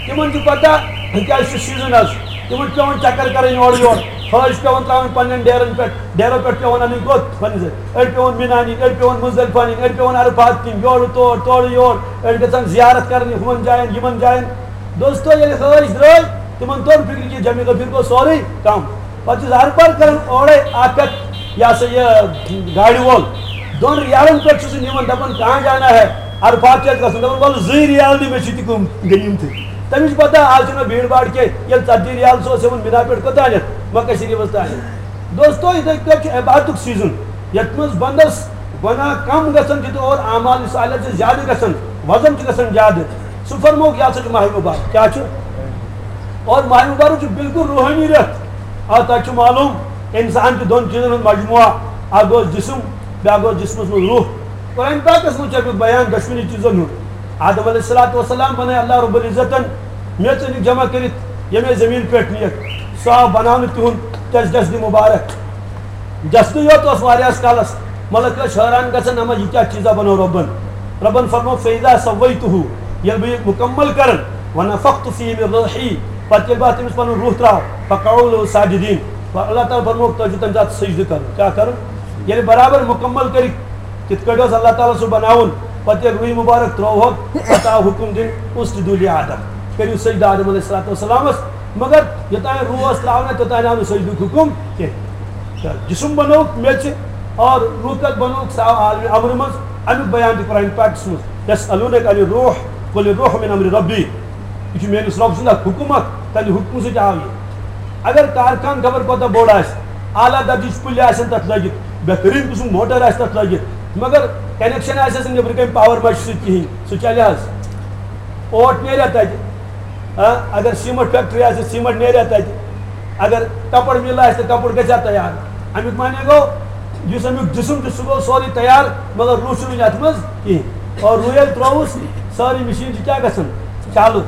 تِمَن چھُ پَتہ، کیٛازِ چھُ سیٖزَن آز، تِمَن چھُ پٮ۪وان چَکَر کَرٕنۍ اورٕ یورٕ، حٲج چھِ پٮ۪وان ترٛاوٕنۍ پنٛنٮ۪ن ڈیرَن پٮ۪ٹھ، ڈیرو پٮ۪ٹھ پٮ۪وان اَنٕنۍ کوٚت؟ پنٛنِس، أڑۍ پٮ۪وان مِنا نِنۍ، أڑۍ پٮ۪وان مُزدَلفہ نِنۍ، أڑۍ پٮ۪وان عرفات نِنۍ، یورٕ تور، تورٕ یور، أڑۍ گژھان زیارت کَرنہِ ہُمَن جایَن، یِمَن جایَن۔ دوستو، ییٚلہِ حٲج درٛاے، تِمَن توٚر فِکرِ کہِ جمع غفیٖر گوٚو سورُے کَم۔ پَتہٕ چھُ ہر بار کَران اورَے اَکھ اَکھ، یہِ ہسا یہِ، گاڑِ وول۔ دۄن ریالَن پٮ۪ٹھ چھُ سُہ نِوان، دَپان، "کہاں جانا ہے؟" عرفات چھِ اَسہِ گژھُن، دَپان، "وَلہٕ زٕے ریال دِ، مےٚ چھِ تہِ کُم غنیٖمتٕے۔" تَمِچ پَتہ، آز چھِنہٕ بیٖڑ باڑ کینٛہہ۔ ییٚلہِ ژَتجی ریال سُہ اوس ہٮ۪وان مِنا پٮ۪ٹھ، کوٚت تانٮ۪تھ؟ مکہ شریٖفَس تانٮ۪تھ۔ دوستو، یِتھَے پٲٹھۍ چھُ عبادتُک سیٖزُن، یَتھ منٛز بنٛدَس گۄناہ کم گژھن چھِ تہٕ اور اعمال صالح چھِ زیادٕ گژھان، وزن چھُ گژھان زیادٕ۔ سُہ فرمووُکھ، یہِ ہسا چھُ ماہِ مبارک۔ کیٛاہ چھُ؟ اور ماہِ مبارک چھُ بالکل روحٲنی رٮ۪تھ۔ آ، تۄہہِ چھُ معلوم، اِنسان چھُ دۄن چیٖزن ہُنٛد مجموعہ، اکھ گوٚو جسم، بیٛاکھ گوٚو جسمس منٛز روح۔ قرآن پاکس منٛز چھُ اَمیُک بیان دۄشوٕنی چیٖزن ہُنٛد۔ آدم علیہ الصلوۃ والسلام بنٲے اللہ رب العزتن میٚژ أنِکھ جمع کٔرِتھ ییٚمے زٔمیٖن پٮ۪ٹھ نِیَکھ۔ سُہ آو بناونہٕ تِہُنٛد تَس جسدِ مُبارک۔ جسدٕے یوت اوس واریاہس کالس، ملک ٲسۍ حٲران گژھان، "اما یہِ کیٛاہ چیٖزا بنوو رۄبن؟" رۄبن فرموو، "فَإِذَا سَوَّيْتُهُ"، ییٚلہِ بہٕ یہِ مُکمل کرن، "وَنَفَخْتُ فِيهِ مِنْ رُوحِي"، پتہٕ ییٚلہِ بہٕ اتھ أمِس پنُن روح ترٛاو، "فَقَعُوا لَهُ سَاجِدِينَ"، پتہٕ اللہ تعالیٰ فرموو، "تۄہہِ چھُو تَمہِ ساتہٕ سجدٕ کرُن۔" کیٛاہ کرُن؟ ییٚلہِ برابر مُکمل کٔرِکھ، تِتھ کٲٹھۍ اوس اللہ تعالیٰ سُہ بناوُن۔ پتہٕ ییٚلہِ روحی مبارک ترٛووہوکھ، پتہٕ آو حُکُم دِنہٕ، "اسجدوا لآدم"، کٔرِو سجدٕ آدم علیہ الصلوۃ والسلامس۔ مگر یوٚتام روح اوس ترٛاونہٕ، توٚتام آو نہٕ سجدُک حُکُم کینٛہہ۔ تہٕ جسم بنووُکھ میٚژِ اور روح کتھ بنووُکھ، سُہ آو عالمِ امرٕ منٛز۔ امیُک بیان تہِ قرآن پاکس منٛز، "یسألونک عن الروح، قل الروح من امر ربی"۔ یہِ چھُ میٲنِس رۄب سُنٛد اکھ حُکُم اکھ، تَمہِ حُکمہٕ سۭتۍ آو یہِ۔ اگر کارخان خبر کوٗتاہ بوٚڑ آسہِ، اعلیٰ درجٕچ پُلہِ آسن تَتھ لٲگِتھ، بہتریٖن قٕسم موٹر آسہِ تَتھ لٲگِتھ، مگر کنیکشن آسٮ۪س نہٕ نیٚبرٕ کَنۍ پاور مچہِ سۭتۍ کِہیٖنۍ، سُہ چلہِ حظ؟ اوٹ نیرِ تَتہِ۔ آ، اگر سیٖمنٹ فیکٹری آسہِ، سیٖمنٹ نیرِ تَتہِ۔ اگر کپر مِل آسہِ، تہٕ کپر گژھِ ہا تیار۔ اَمیُک معنی گوٚو، یُس اَمیُک جسم چھُ، سُہ گوٚو سورُے تیار، مگر روح چھُنہٕ یَتھ منٛز کِہیٖنۍ۔ اور روح ییٚلہِ ترٛووُس، سٲرٕے مِشیٖن چھِ کیٛاہ گژھان؟ چالو۔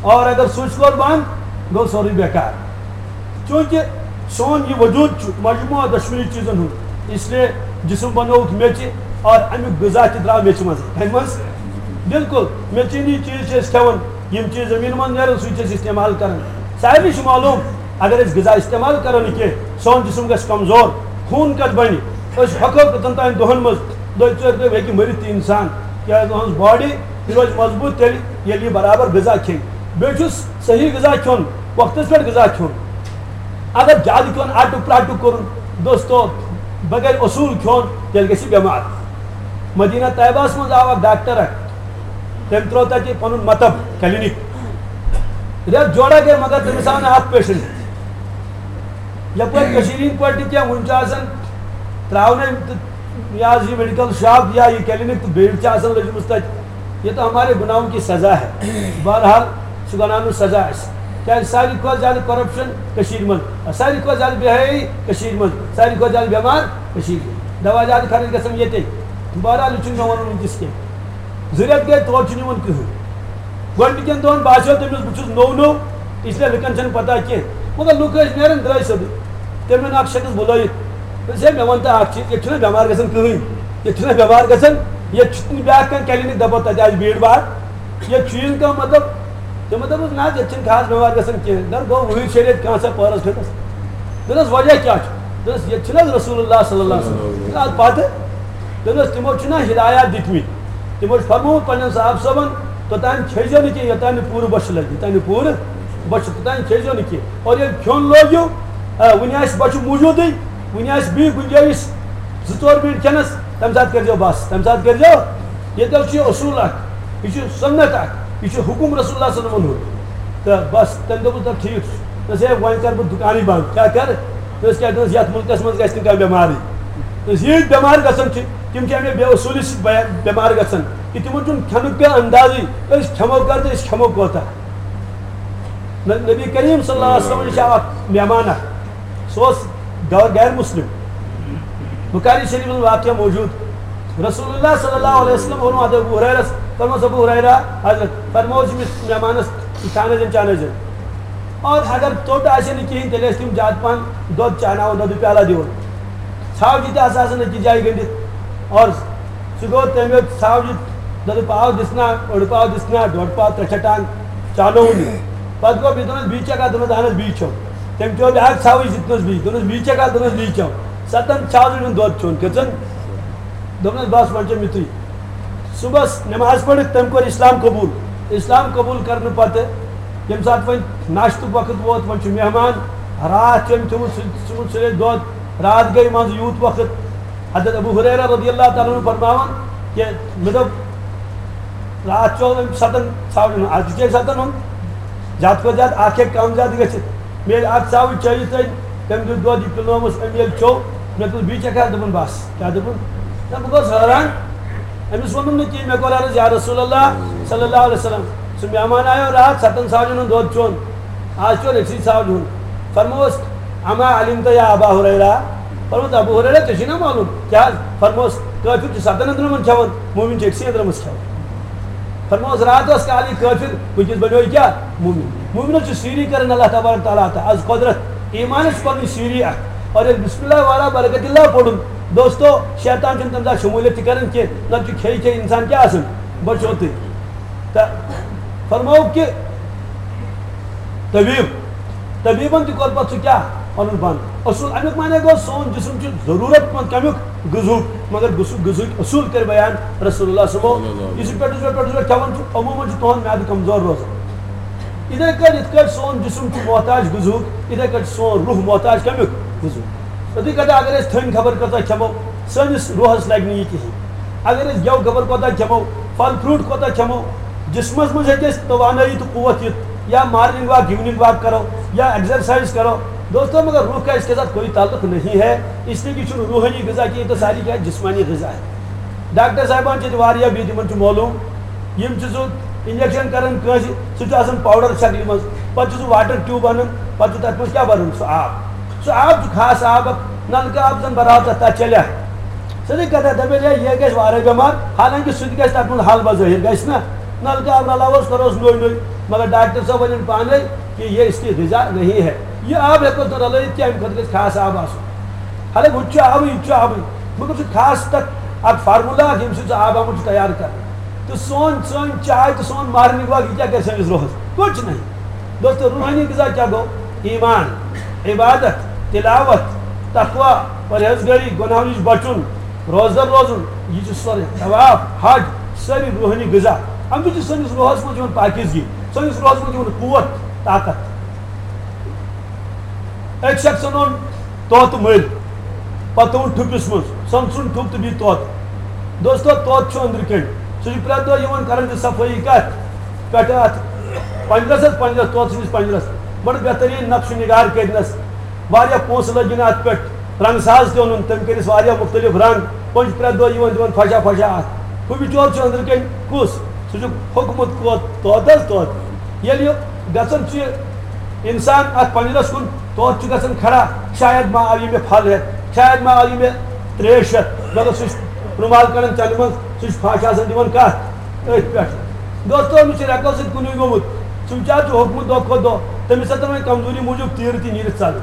اور اگر سُچ کوٚر بنٛد، گوٚو سورُے بیکار۔ چونکہ سون یہ وجود چھُ مجموعہ دۄشوٕنی چیٖزن ہُنٛد، اس لیے جسم بنووُکھ میٚژِ اور امیُک غذا تہِ درٛاو میٚژِ منٛزٕے۔ کمہِ منٛز؟ بالکل، میٚژِ ہٕنٛدی چیٖز چھِ أسۍ کھٮ۪وان، یِم چیٖز زٔمیٖنہِ منٛز نیران، سُے چھِ أسۍ استعمال کران۔ سارنٕے چھُ معلوٗم، اگر أسۍ غذا استعمال کرو نہٕ کینٛہہ، سون جسم گژھِ کمزور، خوٗن کتہِ بنہِ؟ أسۍ ہۄکھو کٔژن تام دۄہن منٛز، دۄیہِ ژورِ دۄہہِ ہیٚکہِ مٔرِتھ تہِ انسان، کیٛازِ تُہٕنٛز باڈی یہِ روزِ مضبوٗط تیٚلہِ، ییٚلہِ یہِ برابر غذا کھیٚیہِ۔ بیٚیہِ چھُس صحیح غذا کھیوٚن، وقتس پٮ۪ٹھ غذا کھیوٚن۔ اگر زیادٕ کھیوٚن، آٹُک پراٹُک کوٚرُن، دوستو، بغیر اصوٗل کھیوٚن، تیٚلہِ گژھِ بٮ۪مار۔ مدینہ طیبہس منٛز آو اکھ ڈاکٹر اکھ، تٔمۍ ترٛوو تتہِ پنُن مطب، کلینک۔ رٮ۪تھ جوڑا گٔے، مگر تٔمِس آو نہٕ اکھ پیشنٹ۔ یپٲرۍ کٔشیٖرِ ہٕنٛدۍ پٲٹھۍ تہِ کینٛہہ، وُنہِ چھُ آسان ترٛاونَے تہٕ یہِ حظ یہِ میڈیکل شاپ یا یہِ کلینک تہٕ بھیڑ چھِ آسان لٔجمٕژ تَتہِ۔ یہ تو ہمارے گناہوں کی سزا ہے۔ بہرحال، سُہ گناہن ہُنٛد سزا آسہِ۔ کیٛازِ ساروی کھۄتہٕ زیادٕ کرپشن کٔشیٖرِ منٛز، ساروی کھۄتہٕ زیادٕ بے حیٲیی کٔشیٖرِ منٛز، ساروی کھۄتہٕ زیادٕ بٮ۪مار کٔشیٖرِ منٛز۔ دوا زیادٕ خرٕچ گژھان ییٚتے۔ بہرحال، یہِ چھُنہٕ مےٚ وَنُن وٕنکیٚس کینٛہہ۔ زٕ رٮ۪تھ گٔے، تور چھُنہٕ یِوان کٕہٕنۍ۔ گۄڈٕنِکٮ۪ن دۄہن باسیو تٔمِس، بہٕ چھُس نوٚو نوٚو، اس لیے لُکن چھَنہٕ پتہ کینٛہہ۔ مگر لُکھ ٲسۍ نیران درٛاے سیوٚدُے۔ تٔمۍ اوٚن اکھ شخص بُلٲیِتھ۔ دوٚپُس، "ہے، مےٚ وَن تہٕ اکھ چیٖز، ییٚتہِ چھُنہ بٮ۪مار گژھان کٕہٕنۍ؟ ییٚتہِ چھُنہ بٮ۪مار گژھان؟ ییٚتہِ چھُ نہٕ بیٛاکھ کانٛہہ کلینک دَپان تَتہِ آسہِ بھیڑ بھاڑ؟ ییٚتہِ چھُ یی نہٕ کانٛہہ مطلب؟" تِمو دوٚپُس، "نہ حظ، ییٚتہِ چھِنہٕ خاص بٮ۪مار گژھان کینٛہہ۔" دوٚپُس، "گوٚو وُہِرۍ شیٚرِ ییٚتہِ کانٛہہ سا پٲرَس پھِرَس؟" دوٚپنَس، "وجہ کیٛاہ چھُ؟" دوٚپنَس، "ییٚتہِ چھُنہٕ حظ رسول اللہ صلی اللہ علیہ وسلم؟" دوٚپنَس، "اَدٕ پَتہٕ؟" دوٚپنَس، "تِمو چھِنہ ہدایات دِتمٕتۍ، تِمو چھُ فرمومُت پنٛنٮ۪ن صاحب صٲبَن، توٚتام کھیٚیزیو نہٕ کینٛہہ، یوٚتام نہٕ پوٗرٕ بۄچھِ لَگہِ، یوٚتام نہٕ پوٗرٕ بۄچھِ، توٚتام کھیٚیزیو نہٕ کینٛہہ۔ اور ییٚلہِ کھیوٚن لوگیو، آ، وُنہِ آسہِ بۄچھِ موٗجوٗدٕے، وُنہِ آسہِ بیٚیہِ گُنجٲیِش زٕ ژور مِنٹ کھٮ۪نَس، تَمہِ ساتہٕ کٔرۍزیو بَس، تَمہِ ساتہٕ کٔرۍزیو۔ ییٚتہِ حظ چھُ یہِ اصوٗل اَکھ، یہِ چھُ سُنت اَکھ، یہِ چھُ حُکُم رسول اللہ صلی اللہ علیہ وسلم ہُنٛد۔" تہٕ بَس، تٔمۍ دوٚپُس، "تَلہٕ ٹھیٖک چھُ۔" دوٚپُس، "ہے، وۄنۍ کَرٕ بہٕ دُکانٕے بنٛد۔" کیٛاہ کَرٕ؟ دوٚپُس، "کیٛاہ؟" دوٚپُس، "یَتھ مُلکَس منٛز گژھِ نہٕ کانٛہہ بٮ۪مارٕے۔" دوٚپُس، "ییٖتۍ بٮ۪مار گژھان چھِ، تِم چھِ اَمے بے اصوٗلی سۭتۍ بیا-، بٮ۪مار گژھان، کہِ تِمَن چھُنہٕ کھٮ۪نُک کانٛہہ اندازٕے، أسۍ کھٮ۪مو کَر تہٕ أسۍ کھٮ۪مو کوتاہ۔" نہ-، نبی کریم صلی اللہ علیہ وسلم نِش آو اکھ مہمان اکھ، سُہ اوس غٲ-، غیر مسلم۔ بخاری شریف منٛز واقعہ موجود۔ رسول اللہ صلی اللہ علیہ وسلم ووٚن ابو ہریرس، فرموس، "ابو ہریرہ حضرت، فرموس أمِس مہمانس، کھیٛاونٲوزٮ۪ن، چاونٲوزٮ۪ن۔ اور اگر ژوٚٹ آسہِ نہٕ کِہیٖنۍ، تیٚلہِ ٲسۍ تِم زیادٕ پہن دۄد چاوناوان، دۄدٕ پیالہ دِوان۔ ژھاوجہِ تہِ آسہٕ آسان أکِس جایہِ گٔنٛڈِتھ۔ اور سُہ گوٚو تٔمۍ یوت ژھاوجہِ، دوٚپُن، پاو دِژ نا، اوٚڑ پاو دِژ نا، ڈۄڈ پاو، ترٛےٚ چٹان چانووُن یہِ۔ پتہٕ گوٚو بیٚیہِ، دوٚپنس، "بیٚیہِ چھکھا؟" دوٚپنس، "اہن حظ، بیٚیہِ چھو۔" تٔمۍ تہِ اوٚن بیٛاکھ ژھاوٕج، دِژنس بیٚیہِ، دوٚپنس، "بیٚیہِ چھکھا؟" دوٚپنس، "بیٚیہِ چٮ۪و۔" ستن ژھاوجن ہُنٛد دۄد چیوٚن، کھیوٚژن۔ دوٚپنس، "بس، وۄنۍ چیوٚو یِتُے۔" صُبحس نماز پٔرِتھ تٔمۍ کوٚر اسلام قبول۔ اسلام قبول کرنہٕ پتہٕ ییٚمہِ ساتہٕ وۄنۍ ناشتُک وقت ووت، وۄنۍ چھُ مہمان، راتھ چھُ أمۍ تھوٚمُت سُہ، ژھُنمُت سُلے دۄد، راتھ گٔے منٛزٕ یوٗت وقت۔ حضرت ابو ہریرہ رضی اللہ تعالیٰ عنہ فرماوان کہ مےٚ دوٚپ، راتھ چوٚو أمۍ ستن ژھاوجن ہُنٛد، از تہِ چیٚیہِ ستن ہُنٛد، زیادٕ کھۄتہٕ زیادٕ اکھ ہیٚکہِ کم زیادٕ گٔژھِتھ۔ مےٚ ییٚلہِ اکھ ژھاوٕج چیٚیہِ تٔمۍ، تٔمۍ دیُت دۄد، یہِ پِلنووُس أمۍ، ییٚلہِ چوٚو، مےٚ دوٚپُس، "بیٚیہِ چکھا؟" دوٚپُن، "بس۔" کیٛاہ دوٚپُن؟ نہ، بہٕ گوس حٲران۔ أمِس ووٚنُم نہٕ کینٛہہ، مےٚ کوٚر عرض، "یا رسول اللہ صلی اللہ علیہ وسلم، سُہ مہمان آیو راتھ ستن ژھاوجن ہُنٛد دۄد چوٚن، از چوٚن أکسٕے ژھاوجہِ ہُنٛد۔" فرمووُس، "اما علمت یا ابا ہریرہ؟" فرمووُس، "ابو ہریرہ، ژےٚ چھُے نا معلوم؟" کیٛاہ حظ؟ فرمووُس، "کٲفِر چھُ ستن أنٛدرمن کھٮ۪وان، مومن چھُ أکسٕے أنٛدرمس کھٮ۪وان۔" فرمووُس، راتس کالٕے کٲفِر، وٕنکیٚس بنیو یہِ کیٛاہ؟ مومن۔ مومنس چھُ سیٖری کران اللہ تبارک تعالیٰ عطا۔ از قۄدرت، ایٖمانس چھِ پنٕنۍ سیٖری اکھ۔ اور ییٚلہِ بسم اللہ والا برکت اللہ پوٚرُن، دوستو، شیطان چھُنہٕ تمہِ ساتہٕ شموٗلیت تہِ کران کینٛہہ، نتہٕ چھُ کھیٚیہِ کھیٚیہِ انسان کیٛاہ آسان، بچوتٕے۔ تہٕ فرموو کہِ طبیب، طبیبن تہِ کوٚر پتہٕ سُہ کیٛاہ؟ پنُن بند۔ اصوٗل امیُک معنی گوٚو، سون جسم چھُ ضروٗرت مند کمیُک؟ غذہُک۔ مگر غذہُک، غذہٕکۍ اصوٗل کٔرۍ بیان رسول اللہ صٲبو۔ صلی اللہ علیہ وسلم۔ یُس یہِ پٮ۪ٹھٕ پٮ۪ٹھٕ پٮ۪ٹھٕ پٮ۪ٹھٕ کھٮ۪وان چھُ، عموٗماً چھُ تُہُنٛد میادٕ کمزور روزان۔ یِتھے کٲٹھۍ، یِتھ کٲٹھۍ سون جسم چھُ محتاج غذہُک، یِتھے کٲٹھۍ چھُ سون روح محتاج کمیُک؟ غذہُک۔ یِتھے کٲٹھۍ اگر أسۍ تھٔنۍ خبر کۭژاہ کھٮ۪مو، سٲنِس روحس لگہِ نہٕ یہِ کِہیٖنۍ۔ اگر أسۍ گٮ۪و خبر کوتاہ کھٮ۪مو، پھل فروٹ کوتاہ کھٮ۪مو، جسمس منٛز ہیٚکہِ اَسہِ توانٲیی تہٕ قوت یِتھ، یا مارننگ واک، ایوننگ واک کرو، یا ایکسرسائز کرو۔ دوستو، مگر روح کا اس کے ساتھ کوئی تعلق نہیں ہے، اس لیے کہ یہ چھُنہٕ روحانی غذا کینٛہہ، یہِ تو ساری کیا جسمانی غذا ہے۔ ڈاکٹر صاحبان چھِ ییٚتہِ واریاہ بِہِتھ، یِمن چھُ معلوٗم۔ یِم چھِ سُہ انجیکشن کران کٲنٛسہِ، سُہ چھُ آسان پاوڈر شکلہِ منٛز، پتہٕ چھُ سُہ واٹر ٹیوب انان، پتہٕ چھُ تتھ منٛز کیٛاہ بھران؟ سُہ آب۔ سُہ آب چھُ خاص آب اکھ، نلکہٕ آب زن بھراو تتھ، تتھ چلہِ۔ سیٚدٕے کتھا دپہِ ہے، یہِ گژھِ وارے بٮ۪مار، حالانکہِ سُہ تہِ گژھِ تتھ منٛز حل بظٲہِر، گژھِ نا؟ نلکہٕ آب رلاووس، کروس نوٚے نوٚے، مگر ڈاکٹر صٲب ونن پانے کہ یہ اس کی غذا نہیں ہے، یہ آب ہیٚکوس نہٕ رلٲیِتھ کینٛہہ، امہِ خٲطرٕ گژھِ خاص آب آسُن۔ حالانکہِ ہُہ تہِ چھُ آبٕے، یہِ تہِ چھُ آبٕے، مگر سُہ خاص تتھ اکھ فارمولا اکھ، ییٚمہِ سۭتۍ سُہ آب آمُت چھُ تیار کرنہٕ۔ تہٕ سون، سٲنۍ چاے تہٕ سون مارننگ واک، یہِ کیٛاہ کرِ سٲنِس روحس؟ کچھ نہیں۔ دوستو، روحانی غذا کیٛاہ گوٚو؟ ایمان، عبادت، تلاوت، تقوی، پرہیزگٲری، گۄناہو نِش بچُن، روزدر روزُن، یہِ چھُ سورُے طواف، حج، سٲری روحٲنی غذا۔ اَمہِ سۭتۍ چھِ سٲنِس روحس منٛز یِوان پاکیزگی، سٲنِس روحس منٛز یِوان قوت، طاقت۔ أکۍ شخصن اوٚن طوطہٕ مٔلۍ، پتہٕ تھوٚوُن ٹھُپِس منٛز، سۄنہٕ سُنٛد ٹھُپ تہٕ بیٚیہِ طوطہٕ۔ دوستو، طوطہٕ چھُ أنٛدرٕ کَنۍ، سُہ چھُ پرٛٮ۪تھ دۄہ یِوان کران چھِ صفٲیی کَتھ پٮ۪ٹھ؟ اَتھ پنجرس، حظ، پنجرس، طوطہٕ سٕنٛدِس پنجرس۔ بڑٕ بہتریٖن نقش و نگار کٔرنس، واریاہ پونٛسہٕ لٔگۍ نہٕ اَتھ پٮ۪ٹھ، رنٛگ ساز تہِ اوٚنُن، تٔمۍ کٔرِس واریاہ مُختٔلِف رنٛگ، وۄنۍ چھُ پرٛٮ۪تھ دۄہ یِوان دِوان پھۄشا پھۄشا اَتھ۔ ہُہ بِچور چھُ أنٛدرٕ کَنۍ کُس؟ سُہ چھُ ہوٚکھمُت کوت-، طوطہٕ، حظ، طوطہٕ۔ ییٚلہِ یہِ گژھان چھُ اِنسان اَتھ پنجرس کُن، طوطہٕ چھُ گژھان کھڑا، شاید ما آو یہِ مےٚ پھل ہٮ۪تھ، شاید ما آو یہِ مےٚ ترٛیش ہٮ۪تھ، مگر سُہ چھُ رُمال کڑان چنٛدٕ منٛز، سُہ چھُ پھش آسان دِوان کَتھ؟ أتھۍ پٮ۪ٹھ۔ دوستو، أمِس چھِ رٮ۪کو سۭتۍ کُنُے گوٚمُت۔ سُہ بِچارٕ چھُ ہوٚکھمُت دۄہ کھۄتہٕ دۄہ۔ تٔمِس ہٮ۪ژن وۄنۍ کمزوری موٗجوٗب تیٖرٕ تہِ نیٖرِتھ ژلٕنۍ۔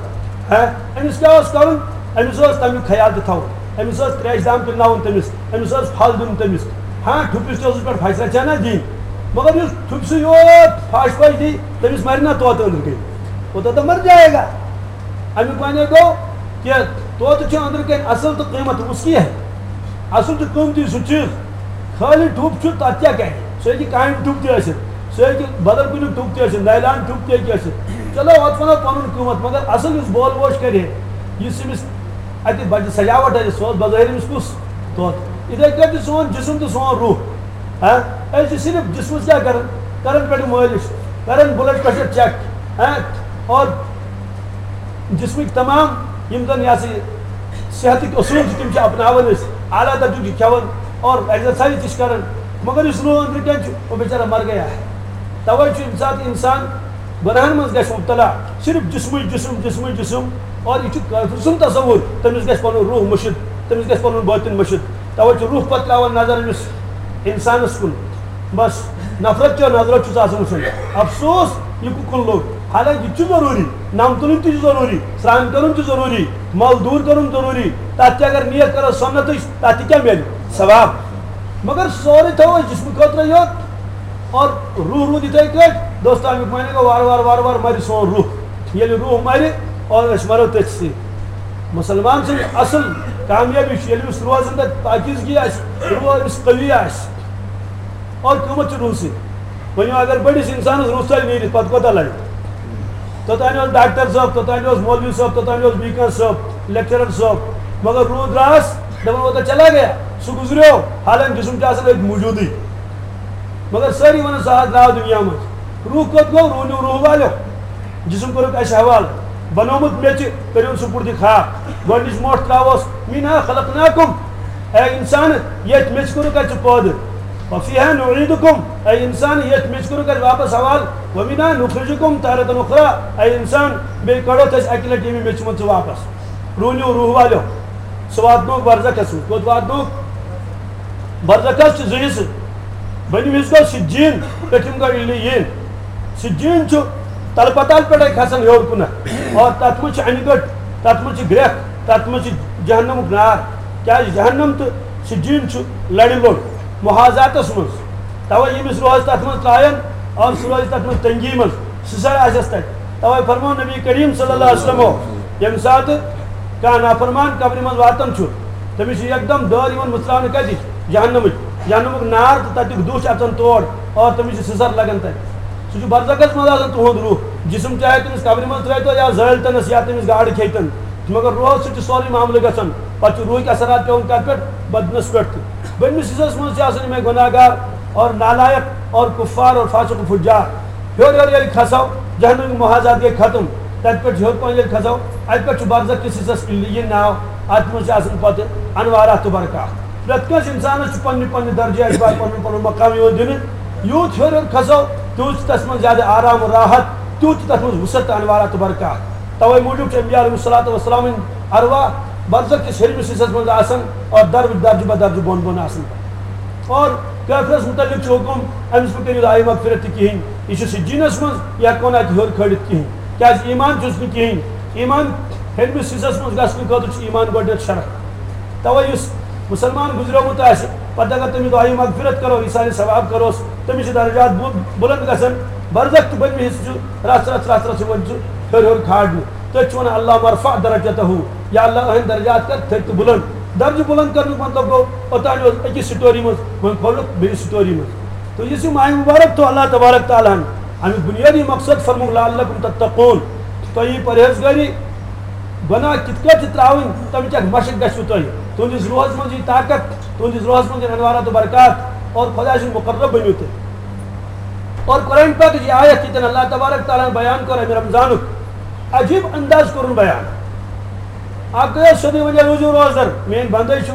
ہا؟ أمِس کیٛاہ اوس کرُن؟ أمِس اوس تمیُک خیال تہِ تھاوُن۔ أمِس اوس تریشہِ دام پِلناوُن تٔمِس۔ أمِس اوس پھل دیُن تٔمِس۔ ہاں، ٹھُپِس تہِ اوسُس پٮ۪ٹھ پھشرا چھا نہ دِنۍ۔ مگر یُس ٹھُپسٕے یوت پھش پھش دی، تٔمِس مرِ نہ طوطہٕ أنٛدرٕ کَنۍ۔ وہ تو مر جائے گا۔ اَمیُک معنی گوٚو کہِ طوطہٕ چھُ أنٛدرٕ کَنۍ اَصٕل تہٕ قۭمَتھ اس کی ہے۔ اَصٕل چھُ قۭمتی سُہ چیٖز۔ خٲلی ٹھُپ چھُ، تَتھ کیٛاہ کَرِ؟ سُہ ہیٚکہِ کامہِ ٹھُپ تہِ ٲسِتھ، سُہ ہیٚکہِ بدل کُنیُک ٹھُپ تہِ ٲسِتھ، نایلان ٹھُپ تہِ ہیٚکہِ ٲسِتھ۔ چلو، اَتھ وَنو پَنُن قۭمَتھ، مگر اَصٕل یُس بول بوش کَرِ ہے، یُس أمِس اَتہِ بَجہِ سجاوٹ آسہِ، سُہ اوس بظٲہِر أمِس کُس؟ طوطہٕ۔ یِتھَے کٲٹھۍ چھُ سون جسم تہٕ سون روح۔ ہاں؟ أسۍ چھِ صرف جسمس کیٛاہ کران؟ کران پٮ۪ٹھٕ مٲلِش، کران بلڈ پریشر چیک، ہاں؟ اور جسمٕکۍ تمام یِم زن یہِ ہسا یہِ صحتٕکۍ اصوٗل چھِ، تِم چھِ اپناوان أسۍ، اعلیٰ درجُک چھِ کھٮ۪وان اور ایکزرسایز تہِ چھِ کران، مگر یُس روح أنٛدرٕ کَنۍ چھُ، وہ بیچارہ مر گیا ہے۔ توے چھُ ییٚمہِ ساتہٕ انسان گۄناہن منٛز گژھِ مبتلا، صرف جسمٕے جسم، جسمٕے جسم، اور یہِ چھُ کٲفر سُنٛد تصور، تٔمِس گژھِ پنُن روح مٔشِتھ، تٔمِس گژھِ پنُن باطن مٔشِتھ۔ توے چھُ روح پتہٕ تراوان نظر أمِس انسانس کُن، بس نفرت چیو نظرو چھُس آسان وٕچھُن۔ افسوس، یہِ کُکُن لوٚگ۔ حالانکہ یہِ تہِ چھُ ضروٗری، نم تُلٕنۍ تہِ چھُ ضروٗری، سرٛان کرُن تہِ ضروٗری، مل دوٗر کرُن ضروٗری۔ تتھ تہِ اگر نیت کرو سنتٕچ، تتھ تہِ کیٛاہ میلہِ؟ ثواب۔ مگر سورُے تھاوو أسۍ جسمہٕ خٲطرٕ یوت، اور روح روٗد یِتھے کٲٹھۍ۔ دوستو، امیُک معنی گوٚو وارٕ وارٕ وارٕ وارٕ مرِ سون روح۔ ییٚلہِ روح مرِ اور أسۍ مرو تٔتھۍ سۭتۍ۔ مسلمان سٕنٛز اصل کامیٲبی چھِ، ییٚلہِ أمِس روزن تہٕ پاکیزگی آسہِ، روح أمِس قوی آسہِ۔ اور قۭمتھ چھُ روحسٕے۔ وۄنۍ اگر بٔڑِس انسانس روح ژلہِ نیٖرِتھ، پتہٕ کوتاہ لگہِ؟ توٚتانۍ اوس ڈاکٹر صٲب، توٚتانۍ اوس مولوی صٲب، توٚتانۍ اوس بیٚیہِ کانٛہہ صٲب، لیکچرر صٲب، مگر روح درٛاس، دپان، وہ تو چلا گیا، سُہ گُزریو، حالانکہ جسم چھُ آسان أتھۍ موٗجوٗدٕے۔ مگر سٲری ونان، سُہ حظ درٛاو دُنیا منٛز۔ روح کوٚت گوٚو؟ روح نیوٗ روح والیو۔ جسم کوٚرُکھ اسہِ حوالہٕ، بنوومُت میٚژِ، کٔرِو سُہ پُٹھِ خاک۔ گۄڈٕنِچ موٹھ ترٛاووس، منها خلقناکم، اے انسان، ییٚتھۍ میٚژِ کوٚرُکھ اسہِ ژٕ پٲدٕ۔ وفیها نعیدکم، اے انسان، ییٚتھۍ میٚژِ کوٚرُکھ اسہِ واپس حوالہٕ۔ ومنها نخرجکم تارة اخری، اے انسان، بیٚیہِ کڑو تہٕ أسۍ اکہِ لٹہِ ییٚمہِ میٚژِ منٛز ژٕ واپس۔ روح نیوٗ روح والیو، سُہ واتنووُکھ برزخس منٛز۔ کوٚت واتنووُکھ؟ برزخس چھِ زٕ حصہٕ۔ بٔنِم حصہٕ گوٚو سجین، پیٚٹھِم گوٚو علیین۔ سجین چھُ تلہٕ پتال پٮ۪ٹھے کھسان ہیوٚر کُنتھ، اور تتھ منٛز چھِ انہِ گٔٹ، تتھ منٛز چھِ گرٛٮ۪کھ، تتھ منٛز چھِ جہنمُک نار۔ کیٛازِ جہنم تہٕ سجین چھُ لڑِ لوٚڑ محاذاتس منٛز۔ توے ییٚمِس روزِ تتھ منٛز ترٛایَن اور سُہ روزِ تتھ منٛز تنگی منٛز۔ سُہ سا آسٮ۪س تتہِ۔ توے فرموو نبی کریم صلی اللہ علیہ وسلمو، ییٚمہِ ساتہٕ کانٛہہ نافرمان قبرِ منٛز واتان چھُ، تٔمِس چھُ یکدم دٲر یِوان مٕژراونہٕ کتِچ؟ جہنمٕچ۔ جہنمُک نار تہٕ تتیُک دُہ چھُ اژان تور اور تٔمِس چھُ سِسر لگان تتہِ۔ سُہ چھُ برزخس منٛز آسان تُہُنٛد روح۔ جسم چاہے تٔمِس قبرِ منٛز ترٲوتو یا زٲلۍ تنس یا تٔمِس گاڈٕ کھیٚیہِ تن، مگر روحس سۭتۍ چھُ سورُے معاملہٕ گژھان۔ پتہٕ چھُ روحٕکۍ اثرات پٮ۪وان کتھ پٮ۪ٹھ؟ بدنس پٮ۪ٹھ تہِ۔ بٔنمِس حصس منٛز چھِ آسان یِمے گۄناہ گار اور نالایق اور کفار اور فاسق و فجار۔ ہیوٚر ہیوٚر ییٚلہِ کھسو، جہنمٕکۍ محاذات گٔے ختم۔ تتہِ پٮ۪ٹھ ہیوٚر پہن ییٚلہِ کھسو، اتہِ پٮ۪ٹھ چھُ برزخ کِس حصس علیین ناو۔ اتھ منٛز چھِ آسان پتہٕ انوارات تہٕ برکات۔ پرٛٮ۪تھ کٲنٛسہِ اِنسانَس چھُ پننہِ پننہِ درجہِ اعتبار پنُن پنُن مقام یِوان دِنہٕ۔ یوٗت ہیوٚر ہیوٚر کھسو، تیوٗت چھُ تَتھ منٛز زیادٕ آرام و راحت، تیوٗت چھُ تَتھ منٛز وُسعت تہٕ انوارات و برکات۔ تَوَے موٗجوٗب چھِ انبیاء علیہم الصلوۃ والسلام ہٕنٛدۍ ارواح برزخ کِس ہیٚرمِس حصس منٛز آسان اور درجہٕ، درجہٕ بہ درجہٕ بۄن بۄن آسان۔ اور کٲفرَس مُتعلِق چھُ حُکُم، أمِس مہٕ کٔرِو دُعایہِ مغفرت تہِ کِہیٖنۍ، یہِ چھُ سجیٖنَس منٛز، یہِ ہٮ۪کو نہٕ اَتہِ ہیوٚر کھٲلِتھ کِہیٖنۍ، کیٛازِ ایٖمان چھُس نہٕ کِہیٖنۍ۔ ایٖمان ہیٚرمِس حصس منٛز گژھنہٕ خٲطرٕ چھُ ایٖمان گۄڈٕنٮ۪تھ شرط۔ تَوَے یُس مُسلمان گُزریومُت آسہِ، پتہٕ اگر تٔمِس دُعایہِ مغفرت کرو، ایٖصالِ ثواب کروس، تٔمِس چھِ درجات بُ-، بُلند گژھان۔ برزخ تہٕ بٔنمہِ حصہٕ چھُ رژھ رژھ رژھ رژھ یِوان چھُ ہیوٚر ہیوٚر کھالنہٕ۔ تٔتھۍ چھِ وَنان، اللہم ارفع درجتہ، یا اللہ، أہٕنٛدۍ درجات کر تھٔدۍ تہٕ بُلند۔ درجہٕ بُلند کرنُک مطلب گوٚو، اوٚتام اوس أکِس سٹوری منٛز، وۄنۍ کھولُکھ بیٚیہِ سٹوری منٛز۔ تہٕ یُس یہِ ماہِ مُبارک تھوٚو اللہ تبارک تعالیٰ ہن، اَمیُک بُنیٲدی مقصد فرمووُکھ، لعلکم تتقون، تۄہہِ یی پرہیزگٲری، گۄناہ کِتھ کٲٹھۍ چھِ ترٛاوٕنۍ، تَمِچ اکھ مشق گژھِوٕ تۄہہِ۔ تُہٕنٛدِس روحس منٛز یی طاقت، تُہٕنٛدِس روحس منٛز یِن انوارات و برکات، اور خۄداے سٕنٛدۍ مُقرب بٔنِو تُہۍ۔ اور قرآن پاکٕچ یہِ آیت، ییٚتٮ۪ن اللہ تبارک تعالیٰ ہن بیان کوٚر اَمہِ رمضانُک، عجیٖب انداز کوٚرُن بیان۔ اکھ گٔیو سیوٚدُے وۄنۍ روٗزِو روزدر، میٲنۍ بندے چھِو۔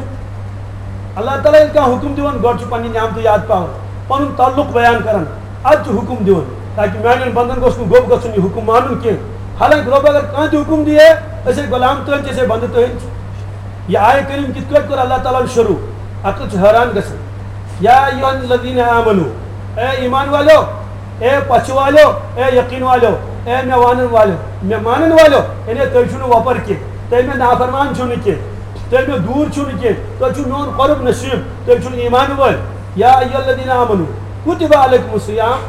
اللہ تعالیٰ ییٚلہِ کانٛہہ حُکُم دِوان، گۄڈٕ چھُ پننہِ نعمتہٕ یاد پاوان، پنُن تعلق بیان کران، اَدٕ چھُ حُکُم دِوان، تاکہِ میانٮ۪ن بندن گوٚژھ نہٕ گوٚب گژھُن یہِ حُکُم مانُن کینٛہہ۔ حالانکہِ رۄب اگر کانٛہہ تہِ حُکُم دِیہِ، أسے غلام تُہٕنٛدۍ چھِ، أسے بندٕ تُہٕنٛدۍ چھِ۔ یہِ آیہِ کریم کِتھ کٲٹھۍ کوٚر اللہ تعالیٰ ہن شروع؟ عقل چھُ حٲران گژھان۔ یا ایھا الذین آمنو، اے ایمان والو، اے پچھِ والو، اے یقین والو، اے مےٚ وانن والو، مےٚ مانن والو، یعنی تُہۍ چھِو نہٕ وۄپر کینٛہہ، تُہۍ مےٚ نافرمان چھِو نہٕ کینٛہہ، تُہۍ مےٚ دوٗر چھِو نہٕ کینٛہہ، تُہۍ چھِو میون قرب نصیب، تُہۍ چھِو ایمان وٲلۍ۔ یا ایھا الذین آمنو کتب علیکم الصیام،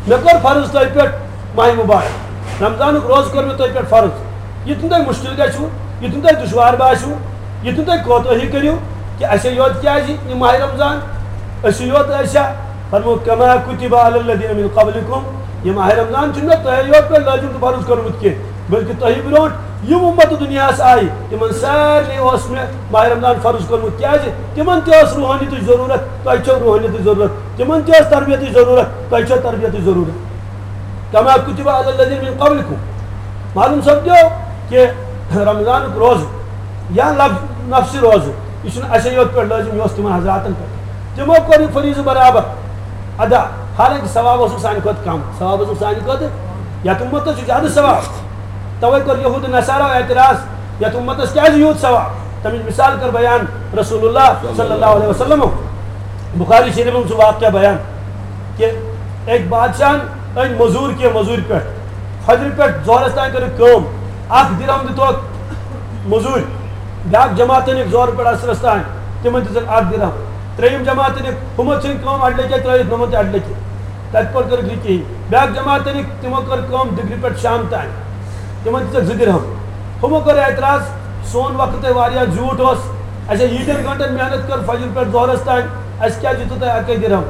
مےٚ کوٚر فرض تۄہہِ پٮ۪ٹھ ماہِ مُبارک، رمضانُک روزٕ کوٚر مےٚ تۄہہِ پٮ۪ٹھ فرض۔ یہِ تہِ نہٕ تۄہہِ مُشکِل گژھِوٕ، یہِ تہِ نہٕ تۄہہِ دُشوار باسِوٕ، یہِ تہِ نہٕ تۄہہِ کوتٲہی کٔرِو کہِ اَسے یوت کیٛازِ یہِ ماہِ رمضان، أسۍ یوت ٲسیا؟ فرموو، کما کتب علی الذین من قبلکم، یہِ ماہِ رمضان چھُنہٕ مےٚ تۄہے یوت پٮ۪ٹھ لٲزِم تہٕ فرض کوٚرمُت کینٛہہ، بلکہِ تۄہہِ برونٛٹھ یِم اُمتہٕ دُنیاہَس آیہِ، تِمن سارنٕے اوس مےٚ ماہِ رمضان فرض کوٚرمُت، کیٛازِ تِمن تہِ ٲس روحٲنیتٕچ ضروٗرت، تۄہہِ چھو روحٲنیتٕچ ضروٗرت، تِمن تہِ ٲس تربیتٕچ ضروٗرت، تۄہہِ چھو تربیتٕچ ضروٗرت۔ کما کتب علی الذین من قبلکم۔ معلوم سپدیو کہ رمضانُک روزٕ یا لفظ نفسِ روزٕ، یہِ چھُنہٕ اَسے یوت پٮ۪ٹھ لٲزِم، یہِ اوس تِمن حضراتن پٮ۪ٹھ۔ تِمو کوٚر یہِ فریضہٕ برابر ادا، حالانکہ ثواب اوسُکھ سانہِ کھۄتہٕ کم، ثواب اوسُکھ سانہِ کھۄتہٕ، یتھ اُمتس چھُ زیادٕ ثواب۔ توے کوٚر یہود نصارا اعتراض، یتھ اُمتس کیازِ یوٗت ثواب؟ تمِچ مثال کٔر بیان رسول اللہ صلی اللہ علیہ وسلم۔ بخاری شریف منٛز چھُ واقعہ بیان کہ أکۍ بادشاہن أنۍ مٔزوٗر کینٛہہ مٔزوٗرِ پٮ۪ٹھ، فجرِ پٮ۪ٹھ ظہرس تام کٔرٕکھ کٲم، اکھ درہم دِتوکھ مٔزوٗرۍ، بیٛاکھ جماعت أنِکھ ظہرٕ پٮ۪ٹھ عصرس تام، تِمن دِژٕکھ اکھ درہم، ترٛیٚیِم جماعت أنِکھ، ہُمو ژھٕنۍ کٲم اڈٕ لٔکِتھ ترٲوِتھ، نوٚمن تہِ اڈٕ لٔکِتھ، تتہِ پٮ۪ٹھ کٔرٕکھ نہٕ کِہیٖنۍ، بیٛاکھ جماعت أنِکھ، تِمو کٔر کٲم دِگرِ پٮ۪ٹھ شام تام، تِمن دِژٕکھ زٕ درہم۔ ہُمو کٔر اعتراض، سون وقت ہے واریاہ زیوٗٹھ اوس، اَسہِ ہے ییٖتٮ۪ن گھنٹن محنت کٔر فجر پٮ۪ٹھ ظہرس تام، اَسہِ کیٛازِ دیُتوٕ تۄہہِ اَکٕے درہم؟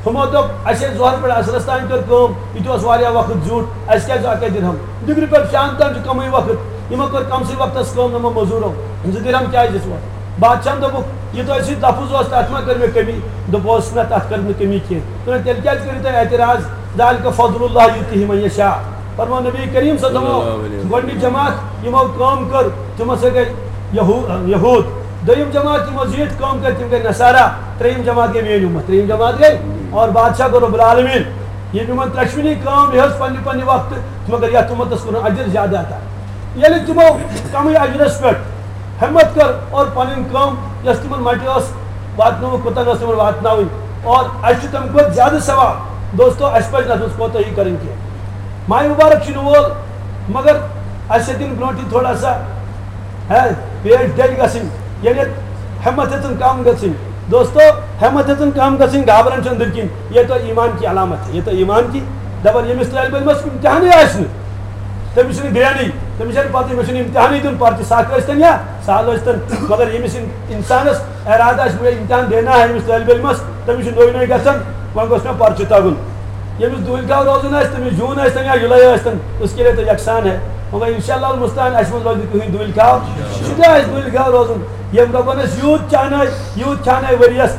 ہُمو دوٚپ، اَسہِ ہے ظہر پٮ۪ٹھ عصرس تام کٔر کٲم، یہِ تہِ اوس واریاہ وقت زیوٗٹھ، اَسہِ کیٛازِ آو اَکٕے درہم؟ دِگرِ پٮ۪ٹھ شام تام چھُ کمٕے وقت، یِمو کٔر کمسٕے وقتس کٲم، یِمو مٔزوٗرو، زٕ درہم کیٛازِ دِژوٕ؟ بادشاہن دوٚپُکھ، یہِ تۄہہِ سۭتۍ لفظ اوس، تَتھ ما کٔر مےٚ کمی؟ دوٚپُس، نہ، تَتھ کٔر نہٕ کمی کینٛہہ۔ دوٚپُن، تیٚلہِ کیٛازِ کٔرِو تُہۍ اعتراض؟ ذلک فضل اللہ یؤتیہ من یشاء۔ فرموو نبی کریم صلی اللہ علیہ وسلم، گۄڈٕنِچ جماعت یِمو کٲم کٔر، تِم ہسا گٔے یہو-، یہود۔ دوٚیِم جماعت یِمو زیٖٹھ کٲم کٔر، تِم گٔے نصارا۔ ترٛیٚیِم جماعت گٔے میٲنۍ اُمت، ترٛیٚیِم جماعت گٔے، اور بادشاہ گوٚو رب العالمین۔ ییٚمۍ یِمن ترٛٮ۪شوٕنی کٲم ہیٚژ پننہِ پننہِ وقتہٕ، مگر یتھ اُمتس کوٚرُن اجر زیادٕ عطا۔ ییٚلہِ تِمو کمٕے اجرس پٮ۪ٹھ ہمت کٔر اور پنٕنۍ کٲم یۄس تِمن مٹہِ ٲس واتنٲومٕژ، کوٚتن ٲس تِمن واتناوٕنۍ، اور اسہِ چھُ تمہِ کھۄتہٕ زیادٕ ثواب۔ دوستو، اسہِ پزِ نہٕ اتھ منٛز کوتٲہی کرٕنۍ کینٛہہ۔ ماہِ مُبارک چھُ یِنہٕ وول، مگر اسہِ چھِ دِنۍ برونٛٹھٕے تھوڑا سا، ہے، پیش دِل گژھٕنۍ، ییٚلہِ ہمت ہیٚژٕن کم گژھٕنۍ۔ دوستو، ہمت ہیٚژٕن کم گژھٕنۍ، گابرن چھُ أنٛدٕرۍ کِنۍ، یہ تو ایمان کی علامت ہے، یہ تو ایمان کی۔ دپان ییٚمِس طٲلبہِ علمس امتحانٕے آسہِ نہٕ، تٔمِس چھُنہٕ گرٛینٕے، تٔمِس چھَنہٕ پَتہٕ، أمِس چھُنہٕ اِمتِحانٕے دیُن، پَرچہِ سَکھ ٲسۍتَن یا سہل ٲسۍتَن، مگر ییٚمِس اِن-، اِنسانَس اِرادٕ آسہِ، مےٚ اِمتِحان دینا ہے أمِس طٲلبہِ علمَس، تٔمِس چھُ نوٚوُے نوٚوُے گژھان، وۄنۍ گوٚژھ مےٚ پَرچہِ تَگُن۔ ییٚمِس دوٗلۍ کھاو روزُن آسہِ، تٔمِس جوٗن ٲسۍتَن یا جُلَے ٲسۍتَن، اس کے لیے تو یکسان ہے۔ مگر انشاءاللہ المستعان اَسہِ منٛز روزِ نہٕ کٕہٕنۍ دوٗلۍ کھاو، شُجاع آسہِ دوٗلۍ کھاو روزُن۔ ییٚمۍ رۄبَن اَسہِ یوٗت چانٲے، یوٗت چانٲے ؤریَس،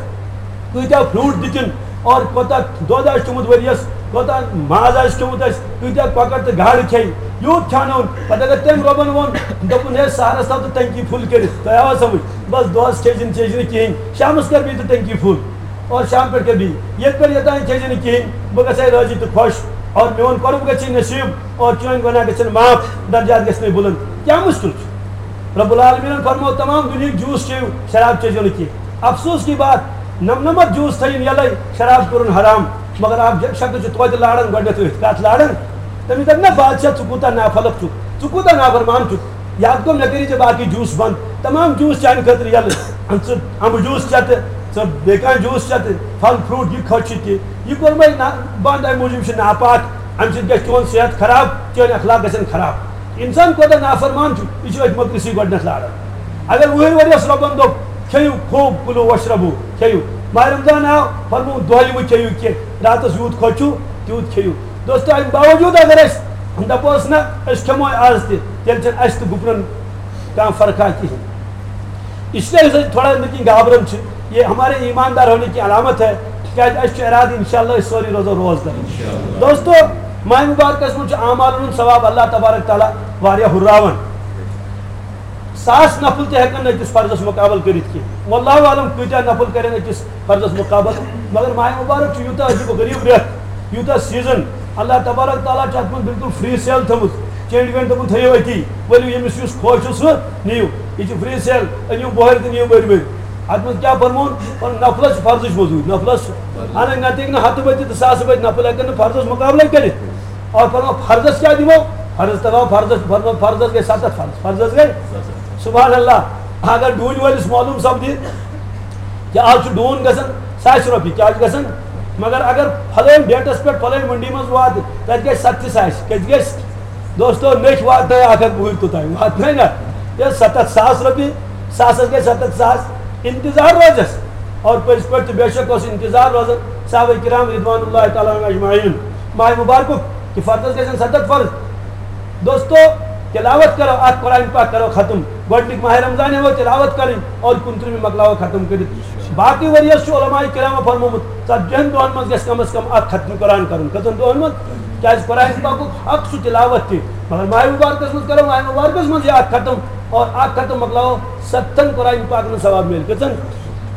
کۭتیٛاہ fruit دِتِن اور کوتاہ دۄد آسہِ چوٚمُت ؤریَس، کوتاہ ماز آسہِ کھیوٚمُت اَسہِ، کۭتیٛاہ کۄکَر تہٕ گاڈٕ کھیٚیہِ، یوٗت کھیٛانٲوُن۔ پَتہٕ اگر تٔمۍ رۄبَن ووٚن، دوٚپُن، "ہے، سہرَس تھاو تہٕ ٹنکی full کٔرِتھ"، تۄہہِ آوا سَمٕجھ؟ بس دۄہس کھیٚیہِ زِ نہٕ، چیٚیہِ زِ نہٕ کِہیٖنۍ، شامس کر بیٚیہِ تہٕ ٹنکی فُل اور شام پٮ۪ٹھ کر بیٚیہِ، ییٚتہِ پٮ۪ٹھ یوٚتام کھیٚیہِ زِ نہٕ کِہیٖنۍ، بہٕ گژھٕ ہے رٲضی تہٕ خۄش اور میون قۄرب گژھِ ہے نصیٖب اور چٲنۍ گۄناہ گژھن معاف، درجات گژھِ مےٚ بُلند۔ کیٛاہ مُشکل چھُ؟ رب العالمینن فرموو تمام دُنیہٕکۍ جوٗس چیٚیِو، شراب چیٚزیو نہٕ کینٛہہ۔ افسوس کی بات، نَمنَمَتھ جوٗس تھٲیِن یَلَے، شراب کوٚرُن حرام۔ مگر اکھ شخص چھُ توتہِ لاران گۄڈٕنٮ۪تھ أتھۍ کَتھ لاران۔ تٔمِس دَپہِ، نہ بادشاہ، ژٕ کوٗتاہ نافلک چھُکھ، ژٕ کوٗتاہ نافرمان چھُکھ۔ یاد گوٚو، مےٚ کٔرِو ژےٚ باقٕے جوٗس بنٛد، تمام جوٗس چانہِ خٲطرٕ یَلہٕ۔ ژٕ اَمبہٕ جوٗس چٮ۪تہٕ، ژٕ بیٚیہِ کانٛہہ جوٗس چٮ۪تہٕ، پھل فروٗٹ، یہِ کھوٚت چھُ تہِ۔ یہِ کوٚرمَے نہ بنٛد، اَمہِ موٗجوٗب چھُ ناپاک، اَمہِ سۭتۍ گژھِ چون صحت خراب، چٲنۍ اخلاق گژھن خراب۔ انسان کوتاہ نافرمان چھُ، یہِ چھُ أتھۍ مۄکرِسٕے گۄڈٕنٮ۪تھ لاران۔ اگر وُہٕرۍ ؤرِیَس رۄبَن دوٚپ، کھیٚیِو خوب، کُلو وَشرَبُو، کھیٚیِو۔ ماہِ رمضان آو، فرموو، دۄہلہِ مہٕ کھیٚیِو کینٛہہ، راتَس یوٗت خۄش چھُو، تیوٗت کھیٚیِو۔ دوستو، اَمہِ باوجوٗد اگر أسۍ دَپوس نہ، أسۍ کھٮ۪مو آز تہِ، تیٚلہِ چھَنہٕ اَسہِ تہٕ گُپنَن کانٛہہ فرقا کِہیٖنۍ۔ اس لیے أسۍ تھوڑا أنٛدرۍ کِنۍ گابران چھِ۔ یہ ہمارے ایماندار ہونے کی علامت ہے، کیازِ اَسہِ چھُ ارادٕ انشاءاللہ أسۍ سٲری روزو روزدار۔ دوستو، ماہِ مبارکس منٛز چھُ اعمالن ہُنٛد ثواب اللہ تبارک تعالیٰ واریاہ ہُرراوان۔ ساس نفل تہِ ہٮ۪کن نہٕ أکِس فرضس مقابل کٔرِتھ کینٛہہ۔ واللہ عالم کۭتیاہ نفل کرن أکِس فرضس مقابل، مگر ماہِ مبارک چھُ یوٗتاہ عجیب و غریب رٮ۪تھ، یوٗتاہ سیزن، اللہ تبارک تعالیٰ چھُ اتھ منٛز بالکل فری سیل تھٲومٕژ، چینڈ وینڈ دوٚپُن تھٲیِو أتی، ؤلِو ییٚمِس یُس خۄش چھُ سُہ نِیِو۔ یہِ چھِ فری سیل، أنِو بۄہرِ تہٕ نِیِو بٔرۍ بٔرۍ۔ اتھ منٛز کیٛاہ فرمووُن؟ فرمووُن نفلس چھِ فرضٕچ مٔزوٗرۍ، نفلس۔ اہن، نتہٕ ہیٚکہِ نہٕ ہتہٕ بٔتہِ تہٕ ساسہٕ بٔتہِ نفل ہیٚکن نہٕ فرضس مقابلے کٔرِتھ۔ اور فرموو فرضس کیٛاہ دِمو؟ فرضس تھاوو فرضس، فرموو فرضس گٔے ستتھ فرض، فرضس گٔے۔ سبحان اللہ، اگر ڈوٗنۍ وٲلِس معلوم سپدِ، کہِ آز چھُ ڈوٗن گژھان ساسہِ رۄپیہِ، کیٛاہ چھُ گژھان؟ مگر اگر فلٲنۍ ڈیٹس پٮ۪ٹھ فلٲنۍ منڈی منٛز واتہِ، تتہِ گژھِ ستتھِ ساسہِ، کتہِ گژھِ؟ دوستو، نٔکھۍ واتنٲے اکھ ہتھ وُہٕرۍ توٚتام، واتنٲے نا؟ یہِ ستتھ ساس رۄپیہِ، ساسس گٔے ستتھ ساس، انتظار روزس۔ اور پٔزۍ پٲٹھۍ تہٕ بے شک اوس انتظار روزان صحابہ کرام رضوان اللہ تعالیٰ عنہم اجمعین۔ ماہِ مبارکُک کہِ فرضس گژھن ستتھ فرض۔ دوستو، تلاوت کرو، اتھ قرآن پاک کرو ختم۔ گۄڈنیُک ماہِ رمضان ہٮ۪مو تلاوت کرٕنۍ اور کُنترٕہمہِ مۄکلاوو ختم کٔرِتھ۔ باقٕے ؤرۍ یس چھُ علماء کرامو فرمومُت، ژتجی ہن دۄہن منٛز گژھِ کم از کم اکھ ختم قرآن کرُن۔ کٔژن دۄہن منٛز؟ کیازِ قرآن پاکُک حق چھُ تلاوت تہِ، مگر ماہِ مبارکس منٛز کرو، ماہِ مبارکس منٛز یہِ اکھ ختم اور اکھ ختم مۄکلاوو ستن قرآن پاکن ثواب میلہِ۔ کٔژن؟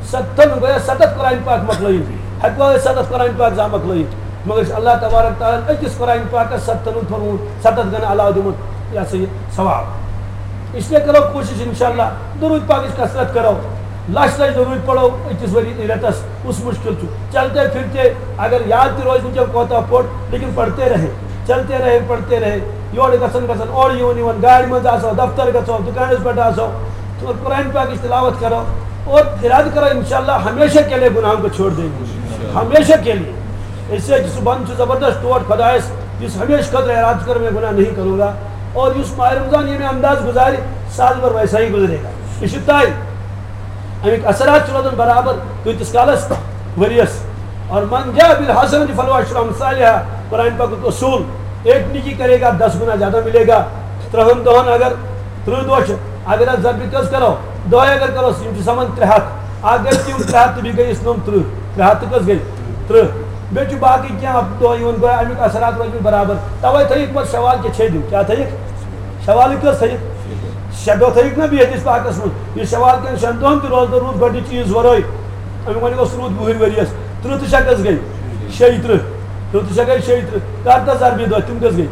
ستن، گویا ستتھ قرآن پاک مۄکلٲیِن۔ ہٮ۪کوا أسۍ ستتھ قرآن پاک زانٛہہ مۄکلٲیِتھ؟ مگر چھُ اللہ تبارک تعالیٰ ہن أکِس قرآن پاکس ستن ہُنٛد فرموومُت، ستتھ گنہٕ علاوٕ دِمُت یہِ ہسا یہِ ثواب۔ اس لیے کرو کوٗشِش انشاءاللہ، درود پاکٕچ کثرت کرو، لچھ لچھ درود پرو أکِس ؤری رٮ۪تس، کُس مُشکِل چھُ؟ چلتے پھرتے اگر یاد تہِ روزِ نہٕ کینٛہہ کوتاہ پوٚر، لیکن پڑھتے رہے، چلتے رہے، پڑھتے رہے، یورٕ گژھان گژھان، اورٕ یِوان یِوان، گاڑِ منٛز آسو، دفتر گژھو، دُکانس پٮ۪ٹھ آسو، اور قرآن پاکٕچ تلاوت کرو اور ارادٕ کرو انشاءاللہ ہمیشہ کے لیے گناہوں کو چھوڑ دیں گے، ہمیشہ کے لیے۔ اس سے سُہ بنٛد چھُ زبردست ٹوٹھ خۄدایس، یُس ہمیشہٕ خٲطرٕ ارادٕ چھُ کران، میں گناہ نہیں کروں گا، اور یُس ماہِ رمضان ییٚمہِ انداز گُزارِ، سُہ حظ گوٚو ویسا ہی گُزرے گا۔ یہِ چھُ طے۔ اَمِکۍ اثرات چھِ روزان برابر کۭتِس کالس؟ ؤرِیَس۔ اور من جاء بالحسنة فله عشر أمثالها، قرآن پاکُک اصوٗل، ایک نیکی کرے گا، دس گنا زیادہ ملے گا۔ ترٛہن دۄہن اگر ترٕٛہ دۄہ چھِ، اگر اتھ ضربہِ کٔژ کرو، دۄہے اگر کرو، یِم چھِ سمان ترٛےٚ ہتھ۔ اکھ گٔے تِم ترٛےٚ ہتھ تہٕ بیٚیہِ گٔے یُس نوٚم ترٕٛہ، ترٛےٚ ہتھ تہٕ کٔژ گٔے؟ ترٕٛہ۔ بیٚیہِ چھُ باقٕے کینٛہہ اکھ دۄہ یِوان، گویا امیُک اثرات روزِ نہٕ برابر۔ توے تھٲیِکھ پتہٕ شوال کہِ چھے دِیُن۔ کیٛاہ تھٲیِکھ؟ شوالٕکۍ کٔژ تھٲیِکھ؟ شےٚ دۄہ تھٲیِکھ نا بیٚیہِ حدیث پاکس منٛز۔ یُس شوال کٮ۪ن شٮ۪ن دۄہن تہِ روزدر روٗد گۄڈٕنِچ عیٖذ ورٲے، امیُک وۄنۍ اوس روٗد وُہٕرۍ ؤرۍ یس۔ ترٕٛہ تہٕ شےٚ کٔژ گٔے؟ شیٚیہِ ترٕٛہ۔ ترٕٛہ تہٕ شےٚ گٔے شیٚیہِ ترٕٛہ۔ کر تہٕ ضربہِ دۄہ، تِم کٔژ گٔے؟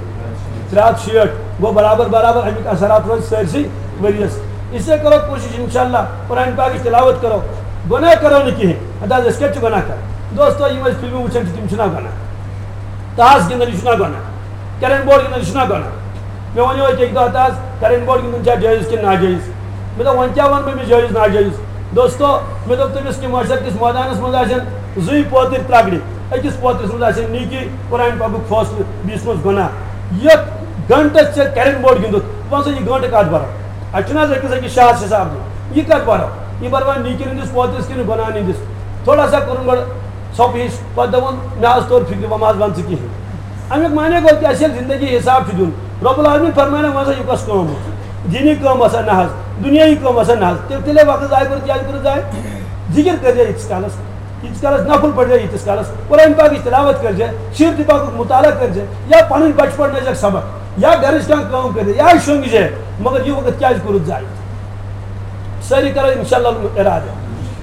ترٛےٚ ہتھ شیٹھ۔ گوٚو برابر برابر امیُک اثرات روزِ سٲرسٕے ؤرۍ یس۔ اس لیے کرو کوٗشِش انشاءاللہ قرآن پاکٕچ تلاوت کرو، گۄناہ کرو نہٕ کِہیٖنۍ۔ اَدٕ حظ أسۍ کَتہِ چھِ گۄناہ کران؟ دوستو، یِم أسۍ فِلمہٕ وٕچھان چھِ، تِم چھِنہ گۄناہ؟ تاس گِنٛدان، یہِ چھُنہ گۄناہ؟ کیرم بورڈ گِنٛدُن، یہِ چھُنہ گۄناہ؟ مےٚ وَنیو أکۍ اَکہِ دۄہ، تاس کیرم بورڈ گِنٛدُن چھا جٲیِز کِنہٕ ناجٲیِز؟ مےٚ دوٚپ، وۄنۍ کیٛاہ وَنہٕ بہٕ أمِس جٲیِز ناجٲیِز؟ دوستو، مےٚ دوٚپ تٔمِس کہِ معاشر کِس مٲدانَس منٛز آسن زٕے پوتٕرۍ ترٛگڑِ، أکِس پوترِس منٛز آسن نیٖکی، قرآن پاکُک فٲصلہٕ، بیٚیِس منٛز گۄناہ۔ یَتھ گھنٹَس ژےٚ کیرم بورڈ گِنٛدُتھ، وَن سا، یہِ گھنٹہٕ کَتھ بَرو؟ اَتہِ چھُنہٕ حظ أکِس أکِس شاہَس حِساب دیُن؟ یہِ کَتھ بَرو؟ یہِ بَروا نیٖکی ہِنٛدِس پوترِس کِنہٕ گۄناہ ہِنٛدِس؟ تھوڑا سا کوٚرُن گۄڈٕ ژھۄپہٕ ہِش، پَتہٕ دوٚپُن، مےٚ حظ توٚر فِکرِ، وۄنۍ مہ حظ وَن ژٕ کِہیٖنۍ۔ اَمیُک معنی گوٚو کہِ اَسہِ ییٚلہِ زِندگی حِساب چھُ دیُن، رۄب العالمین فرماوِ نہ، وۄنۍ ہسا یہِ کۄس کٲم ٲس؟ دیٖنی کٲم ٲسا نہ حظ؟ دُنیٲیی کٲم ٲسا نہ حظ؟ تیٚلہِ، تیٚلے وقت ضایع کوٚرُتھ، کیٛازِ کوٚرُتھ ضایع؟ ذِکِر کٔرۍزِ ییٖتِس کالَس، ییٖتِس کالَس نفل پٔرۍزِ، ییٖتِس کالَس قرآن پاکٕچ تلاوت کٔرۍزِ، سیٖرتِ پاکُک مطالعہ کٔرۍزِ، یا پَنٕنۍ بَچہٕ پَرنٲوزٮ۪کھ سبق، یا گَرٕچ کانٛہہ کٲم کٔرۍزِ، یا شۄنٛگزِ، مگر یہِ وقت کیٛازِ کوٚرُتھ ضایع؟ سٲری کرو انشاءاللہ ارادٕ،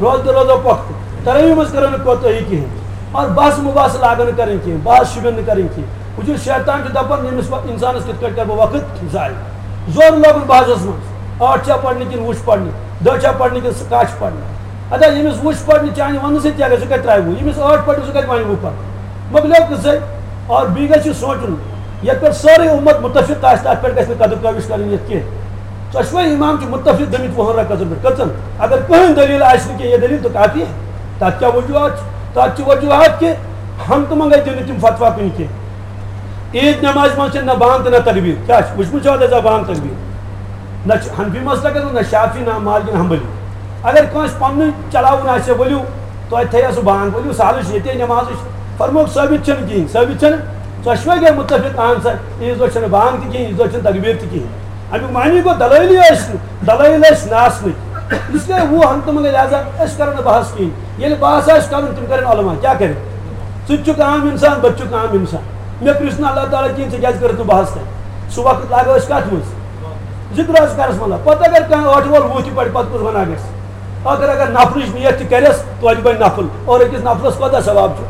روزٕ دۄہ روزو پۄختہٕ، ترٲیِو منٛز کرو نہٕ کوتٲہی کِہیٖنۍ، اور بحث مباحث لاگو نہٕ کرٕنۍ کِہیٖنۍ، بحث شوٗبٮ۪ن نہٕ کرٕنۍ کِہیٖنۍ۔ وٕچھِو، شیطان چھُ دپان، ییٚمِس وا-، انسانس کِتھ پٲٹھۍ کرٕ بہٕ وقت ضایع؟ زور لوگُن بحثس منٛز، ٲٹھ چھا پرنہِ کِنہٕ وُہ چھِ پرنہِ، دہ چھا پرنہِ کِنہٕ کاہ چھِ پرنہِ؟ ادا، ییٚمِس وُہ چھِ پرنہِ، چانہِ وننہٕ سۭتۍ کیٛاہ گژھِ؟ سُہ کتہِ ترٛاوِ وُہ؟ ییٚمِس ٲٹھ پرنہِ، سُہ کتہِ وَنہِ وُہ پرنہِ؟ مۄکلیو قصے۔ اور بیٚیہِ گژھِ یہِ سونٛچُن، یتھ پٮ۪ٹھ سٲرٕے اُمت مُتفق آسہِ، تتھ پٮ۪ٹھ گژھِ نہٕ قدٕر کٲوِش کرٕنۍ یتھ کینٛہہ۔ ژۄشوے امام چھِ مُتفق گٔمٕتۍ وُہن رکعژن پٮ۪ٹھ۔ کٔژن؟ اگر کٕہٕنۍ دٔلیٖل آسہِ نہٕ کینٛہہ، یہِ دٔلیٖل تہٕ کافی ہے۔ تتھ کیٛاہ وجوہات چھِ؟ تتھ چھِ وجوہات کہِ ہنٛگتہٕ منٛگے دِنہٕ تِم فتوا کُنہِ کینٛہہ۔ عیٖد نمازِ منٛز چھِنہٕ نہ بانگ تہٕ نہ تکبیر۔ کیٛاہ چھُ؟ وٕچھمُت چھُوا تۄہہِ زانٛہہ بانگ تکبیر؟ نہ چھُ حنفی مسلکس منٛز، نہ شافعی، نہ مالکی، نہ حنبلی۔ اگر کٲنٛسہِ پننُے چلاوُن آسہِ، ؤلِو، توتہِ تھٲیِو سُہ بانگ، ؤلِو، سہلٕے چھُ، ییٚتے نمازٕے چھُ۔ فرمووُکھ، ثٲبت چھُنہٕ کِہیٖنۍ، ثٲبت چھُنہٕ۔ ژۄشوَے گٔے مُتفق، اہن سا، عیٖذ دۄہ چھَنہٕ بانگ تہِ کِہیٖنۍ، عیٖذ دۄہ چھَنہٕ تکبیٖر تہِ کِہیٖنۍ۔ اَمیُک معنی گوٚو، دلٲیلٕے ٲسۍ نہٕ، دلٲیل ٲسۍ نہٕ آسنٕکۍ۔ اس لیے وُہ ہنٛگتہٕ منٛگے، لہذا أسۍ کَرو نہٕ بحث کِہیٖنۍ۔ ییٚلہِ بحث آسہِ کَرُن، تِم کَرن علماء، کیٛاہ کَرِ؟ ژٕ تہِ چھُکھ عام اِنسان، بہٕ تہِ چھُکھ عام اِنسان۔ مےٚ پرٛژھ نہٕ اللہ تعالیٰ کِہیٖنۍ، ژےٚ کیٛازِ کٔرٕتھ نہٕ بحث تَتہِ؟ سُہ وقت لاگو أسۍ کَتھ منٛز؟ ذِکر حظ کَرَس مطلب۔ پَتہٕ اگر کانٛہہ ٲٹھ وول وُہ تہِ پَرِ، پَتہٕ کُس گۄناہ گژھِ؟ ٲخر اگر نفلٕچ نیت تہِ کرٮ۪س، توتہِ بنہِ نفل، اور أکِس نفلس کوتاہ ثواب چھُ؟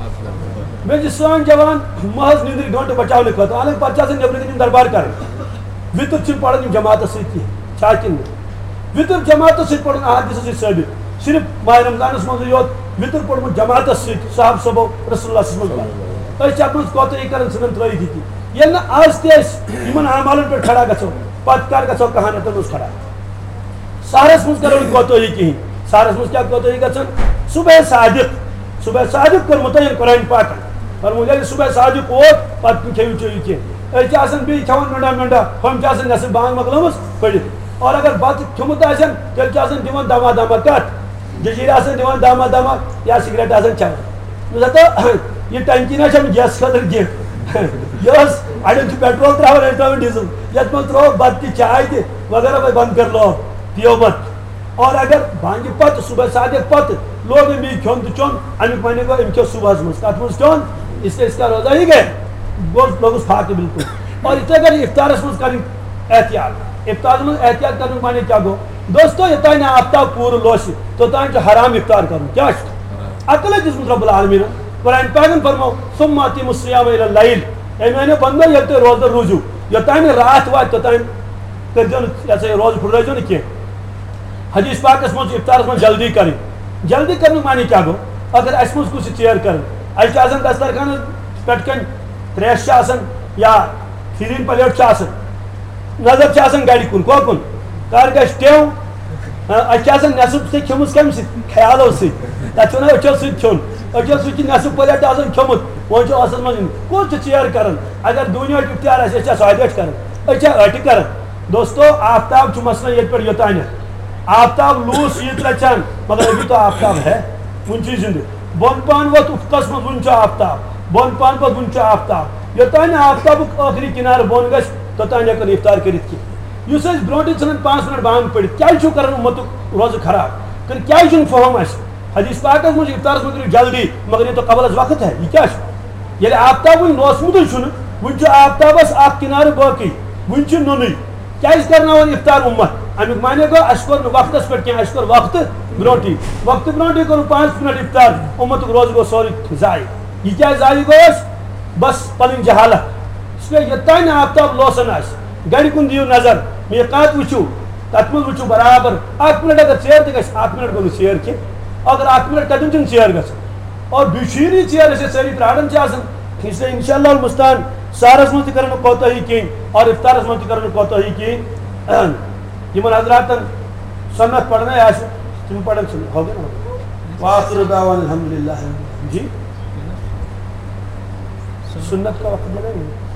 مےٚ چھِ سٲنۍ جوان محض نِندرِ گٲنٹہٕ بچاونہٕ خٲطرٕ، حالانکہ پتہٕ چھِ آسان نیبرٕ کِنۍ یِم دربار کران۔ وِتر چھِنہٕ پران یِم جماعتس سۭتۍ کینٛہہ، چھا کِنہٕ نہٕ؟ وِتر جماعتس سۭتۍ پرُن احادیثس سۭتۍ ثٲبت، صرف ماہ رمضانس منٛزٕے یوت وِتر پوٚرمُت جماعتس سۭتۍ، صحابہٕ صٲبو رسول اللہ صلی اللہ علیہ وسلم۔ أسۍ چھِ اتھ منٛز کوتٲہی کران، ژھٕنان ترٲوِتھ یہِ تہِ۔ ییٚلہِ نہٕ از تہِ أسۍ یِمن اعمالن پٮ۪ٹھ کھڑا گژھو، پتہٕ کر گژھو کہانتن منٛز کھڑا؟ سحرس منٛز کرو نہٕ کوتٲہی کِہیٖنۍ۔ سحرس منٛز کیٛاہ کوتٲہی گژھان؟ صبح صادق، صبح صادق کوٚر مُتعین قرآن پاکن۔ فرموو، ییٚلہِ صبح صادق ووت، پتہٕ کھیٚیِو چیٚیِو کینٛہہ۔ أسۍ چھِ آسان بیٚیہِ کھٮ۪وان مِنڈا مِنڈا، ہُم چھِ آسان نٮ۪صٕف بانگ مۄکلٲمٕژ پٔرِتھ۔ اور اگر بتہٕ کھیوٚمُت آسن، تیٚلہِ چھِ آسان دِوان دما دما کتھ۔ جٔجیٖرِ آسان دِوان دما دما یا سگریٹ آسان چٮ۪وان۔ مےٚ دوٚپ، ہتا، یہِ ٹنکی نہ چھَنہٕ گیس خٲطرٕ کینٛہہ۔ یہِ ٲس، اَڑٮ۪ن چھُ پیٹرول ترٛاوان، اَڑٮ۪ن چھُ ترٛاوان ڈیٖزل۔ یَتھ منٛز ترٛوو بَتہٕ تہِ، چاے تہِ وغیرہ، وۄنۍ بنٛد کٔر لوگ، پیو بَتہٕ۔ اور اگر بانگہِ پتہٕ، صبح صادق پتہٕ لوگ أمۍ یہِ کھیوٚن تہٕ چیوٚن، اَمیُک معنی گوٚو، أمۍ کھیوٚو صُبحَس منٛز۔ کَتھ منٛز کھیوٚن؟ اس لیے اس کا روزہ ہی گیا۔ گوٚو، لوٚگُس فاقہٕ بالکل۔ اور یِتھَے کٔنۍ افطارَس منٛز کَرٕنۍ احتیاط۔ افطارَس منٛز احتیاط کَرنُک معنی کیٛاہ گوٚو؟ دوستو، یوٚتام نہٕ آفتاب پوٗرٕ لوسہِ، توٚتام چھُ حرام افطار کرُن۔ کیٛاہ چھُ؟ عقل ہے دِژمٕژ رب العالمیٖنن۔ قرآن پاکن فرموو، "ثم أتموا الصيام إلى الليل"۔ اَمہِ وَنہِ بنٛدو، ییٚلہِ تُہۍ روزدر روٗزِو، یوٚتام نہٕ راتھ واتہِ، توٚتام کٔرۍزیو نہٕ، یہِ ہسا یہِ، روزٕ پھُٹرٲوزیو نہٕ کینٛہہ۔ حدیث پاکس منٛز چھُ افطارس منٛز جلدی کرٕنۍ۔ جلدی کرنُک معنی کیٛاہ گوٚو؟ اگر اَسہِ منٛز کُس چھِ ژیر کران، اَسہِ چھُ آسان دسترخوانس پٮ۪ٹھ کنہِ تریش چھِ آسان یا کھیٖرِن پلیٹ چھِ آسان، نظر چھِ آسان گرِ کُن، کۄکُن کر گژھِ ٹیو۔ ہاں، اَسہِ چھِ آسان نٮ۪صٕف تہِ کھیوٚمُت کَمہِ سۭتۍ؟ خیالو سۭتۍ۔ تَتھ چھِ وَنان أچھو سۭتۍ کھیوٚن۔ أچھو سۭتۍ چھِ نٮ۪صٕف پلیٹ آسان کھیوٚمُت، وۄنۍ چھُ ٲسَس منٛز یُن۔ کوٚت چھُ ژیر کَران؟ اگر دُنیاہُک اِختیار آسہِ، أسۍ چھا سۄ اَتہِ کَران؟ أسۍ چھا أٹہِ کَران؟ دوستو، آفتاب چھُ مثلاً ییٚتہِ پٮ۪ٹھ یوٚتانٮ۪تھ۔ آفتاب لوٗس ییٖژ رَژھِ ہن، مگر ابھی تو آفتاب ہے، وُنہِ چھُ یہِ زِندٕ۔ بۄن پہن وۄتھ افقس منٛز، وُنہِ چھُ آفتاب۔ بۄن پہن پتہٕ وُنہِ چھُ آفتاب۔ یوٚتام نہٕ آفتابُک ٲخری کِنارٕ بۄن گژھِ، توٚتام ہٮ۪کو نہٕ افطار کٔرِتھ کینٛہہ۔ یُس أسۍ برونٛٹھٕے ژھٕنان پانٛژھ منٹ بانگ پٔرِتھ، کیٛازِ چھُو کران اُمتُک روزٕ خراب؟ کِنہٕ کیٛازِ چھُنہٕ فہم اَسہِ؟ حدیث پاکس منٛز چھُ افطارس منٛز کٔرِو جلدی، مگر یہ تو قبل از وقت ہے، یہِ کیٛاہ چھُ؟ ییٚلہِ آفتاب وُنہِ لوسمُتٕے چھُنہٕ، وُنہِ چھُ آفتابس اکھ کِنارٕ باقٕے، وُنہِ چھُ نوٚنُے۔ کیٛازِ کرناوان افطار اُمت؟ اَمیُک معنی گوٚو، اَسہِ کوٚر نہٕ وقتس پٮ۪ٹھ کینٛہہ، اَسہِ کوٚر وقتہٕ برونٛٹھٕے۔ وقتہٕ برونٛٹھٕے کوٚرُن پانٛژھ منٹ افطار، اُمتُک روزٕ گوٚو سورُے ضایع۔ یہِ کیٛازِ ضایع گوٚو اَسہِ؟ بس پنٕنۍ جہالت۔ اس لیے یوٚتام نہٕ آفتاب لوسان آسہِ، گرِ کُن دِیِو نظر، میٖقات وٕچھِو، تَتھ منٛز وٕچھِو برابر۔ اکھ منٹ اگر ژیر تہِ گژھِ، اکھ منٹ گوٚو نہٕ ژیر کینٛہہ۔ اگر اکھ منٹ کَتٮ۪ن چھُنہٕ ژیر گژھان؟ اور بیٚیہِ چھُ یہِ ژیر، أسۍ ٲسۍ سٲری پرٛاران چھِ آسان۔ اس لیے انشاءاللہ المستعان، سحرس منٛز تہِ کرو نہٕ کوتٲہی کِہیٖنۍ، اور افطارس منٛز تہِ کرو نہٕ کوتٲہی کِہیٖنۍ۔ یِمن حضراتن سنت پرنے آسہِ، تِم پرن سنت۔ ہو گیا نا؟ وآخر دعوانا الحمدللہ۔ جی؟ سنت کا وقت بنا نہیں۔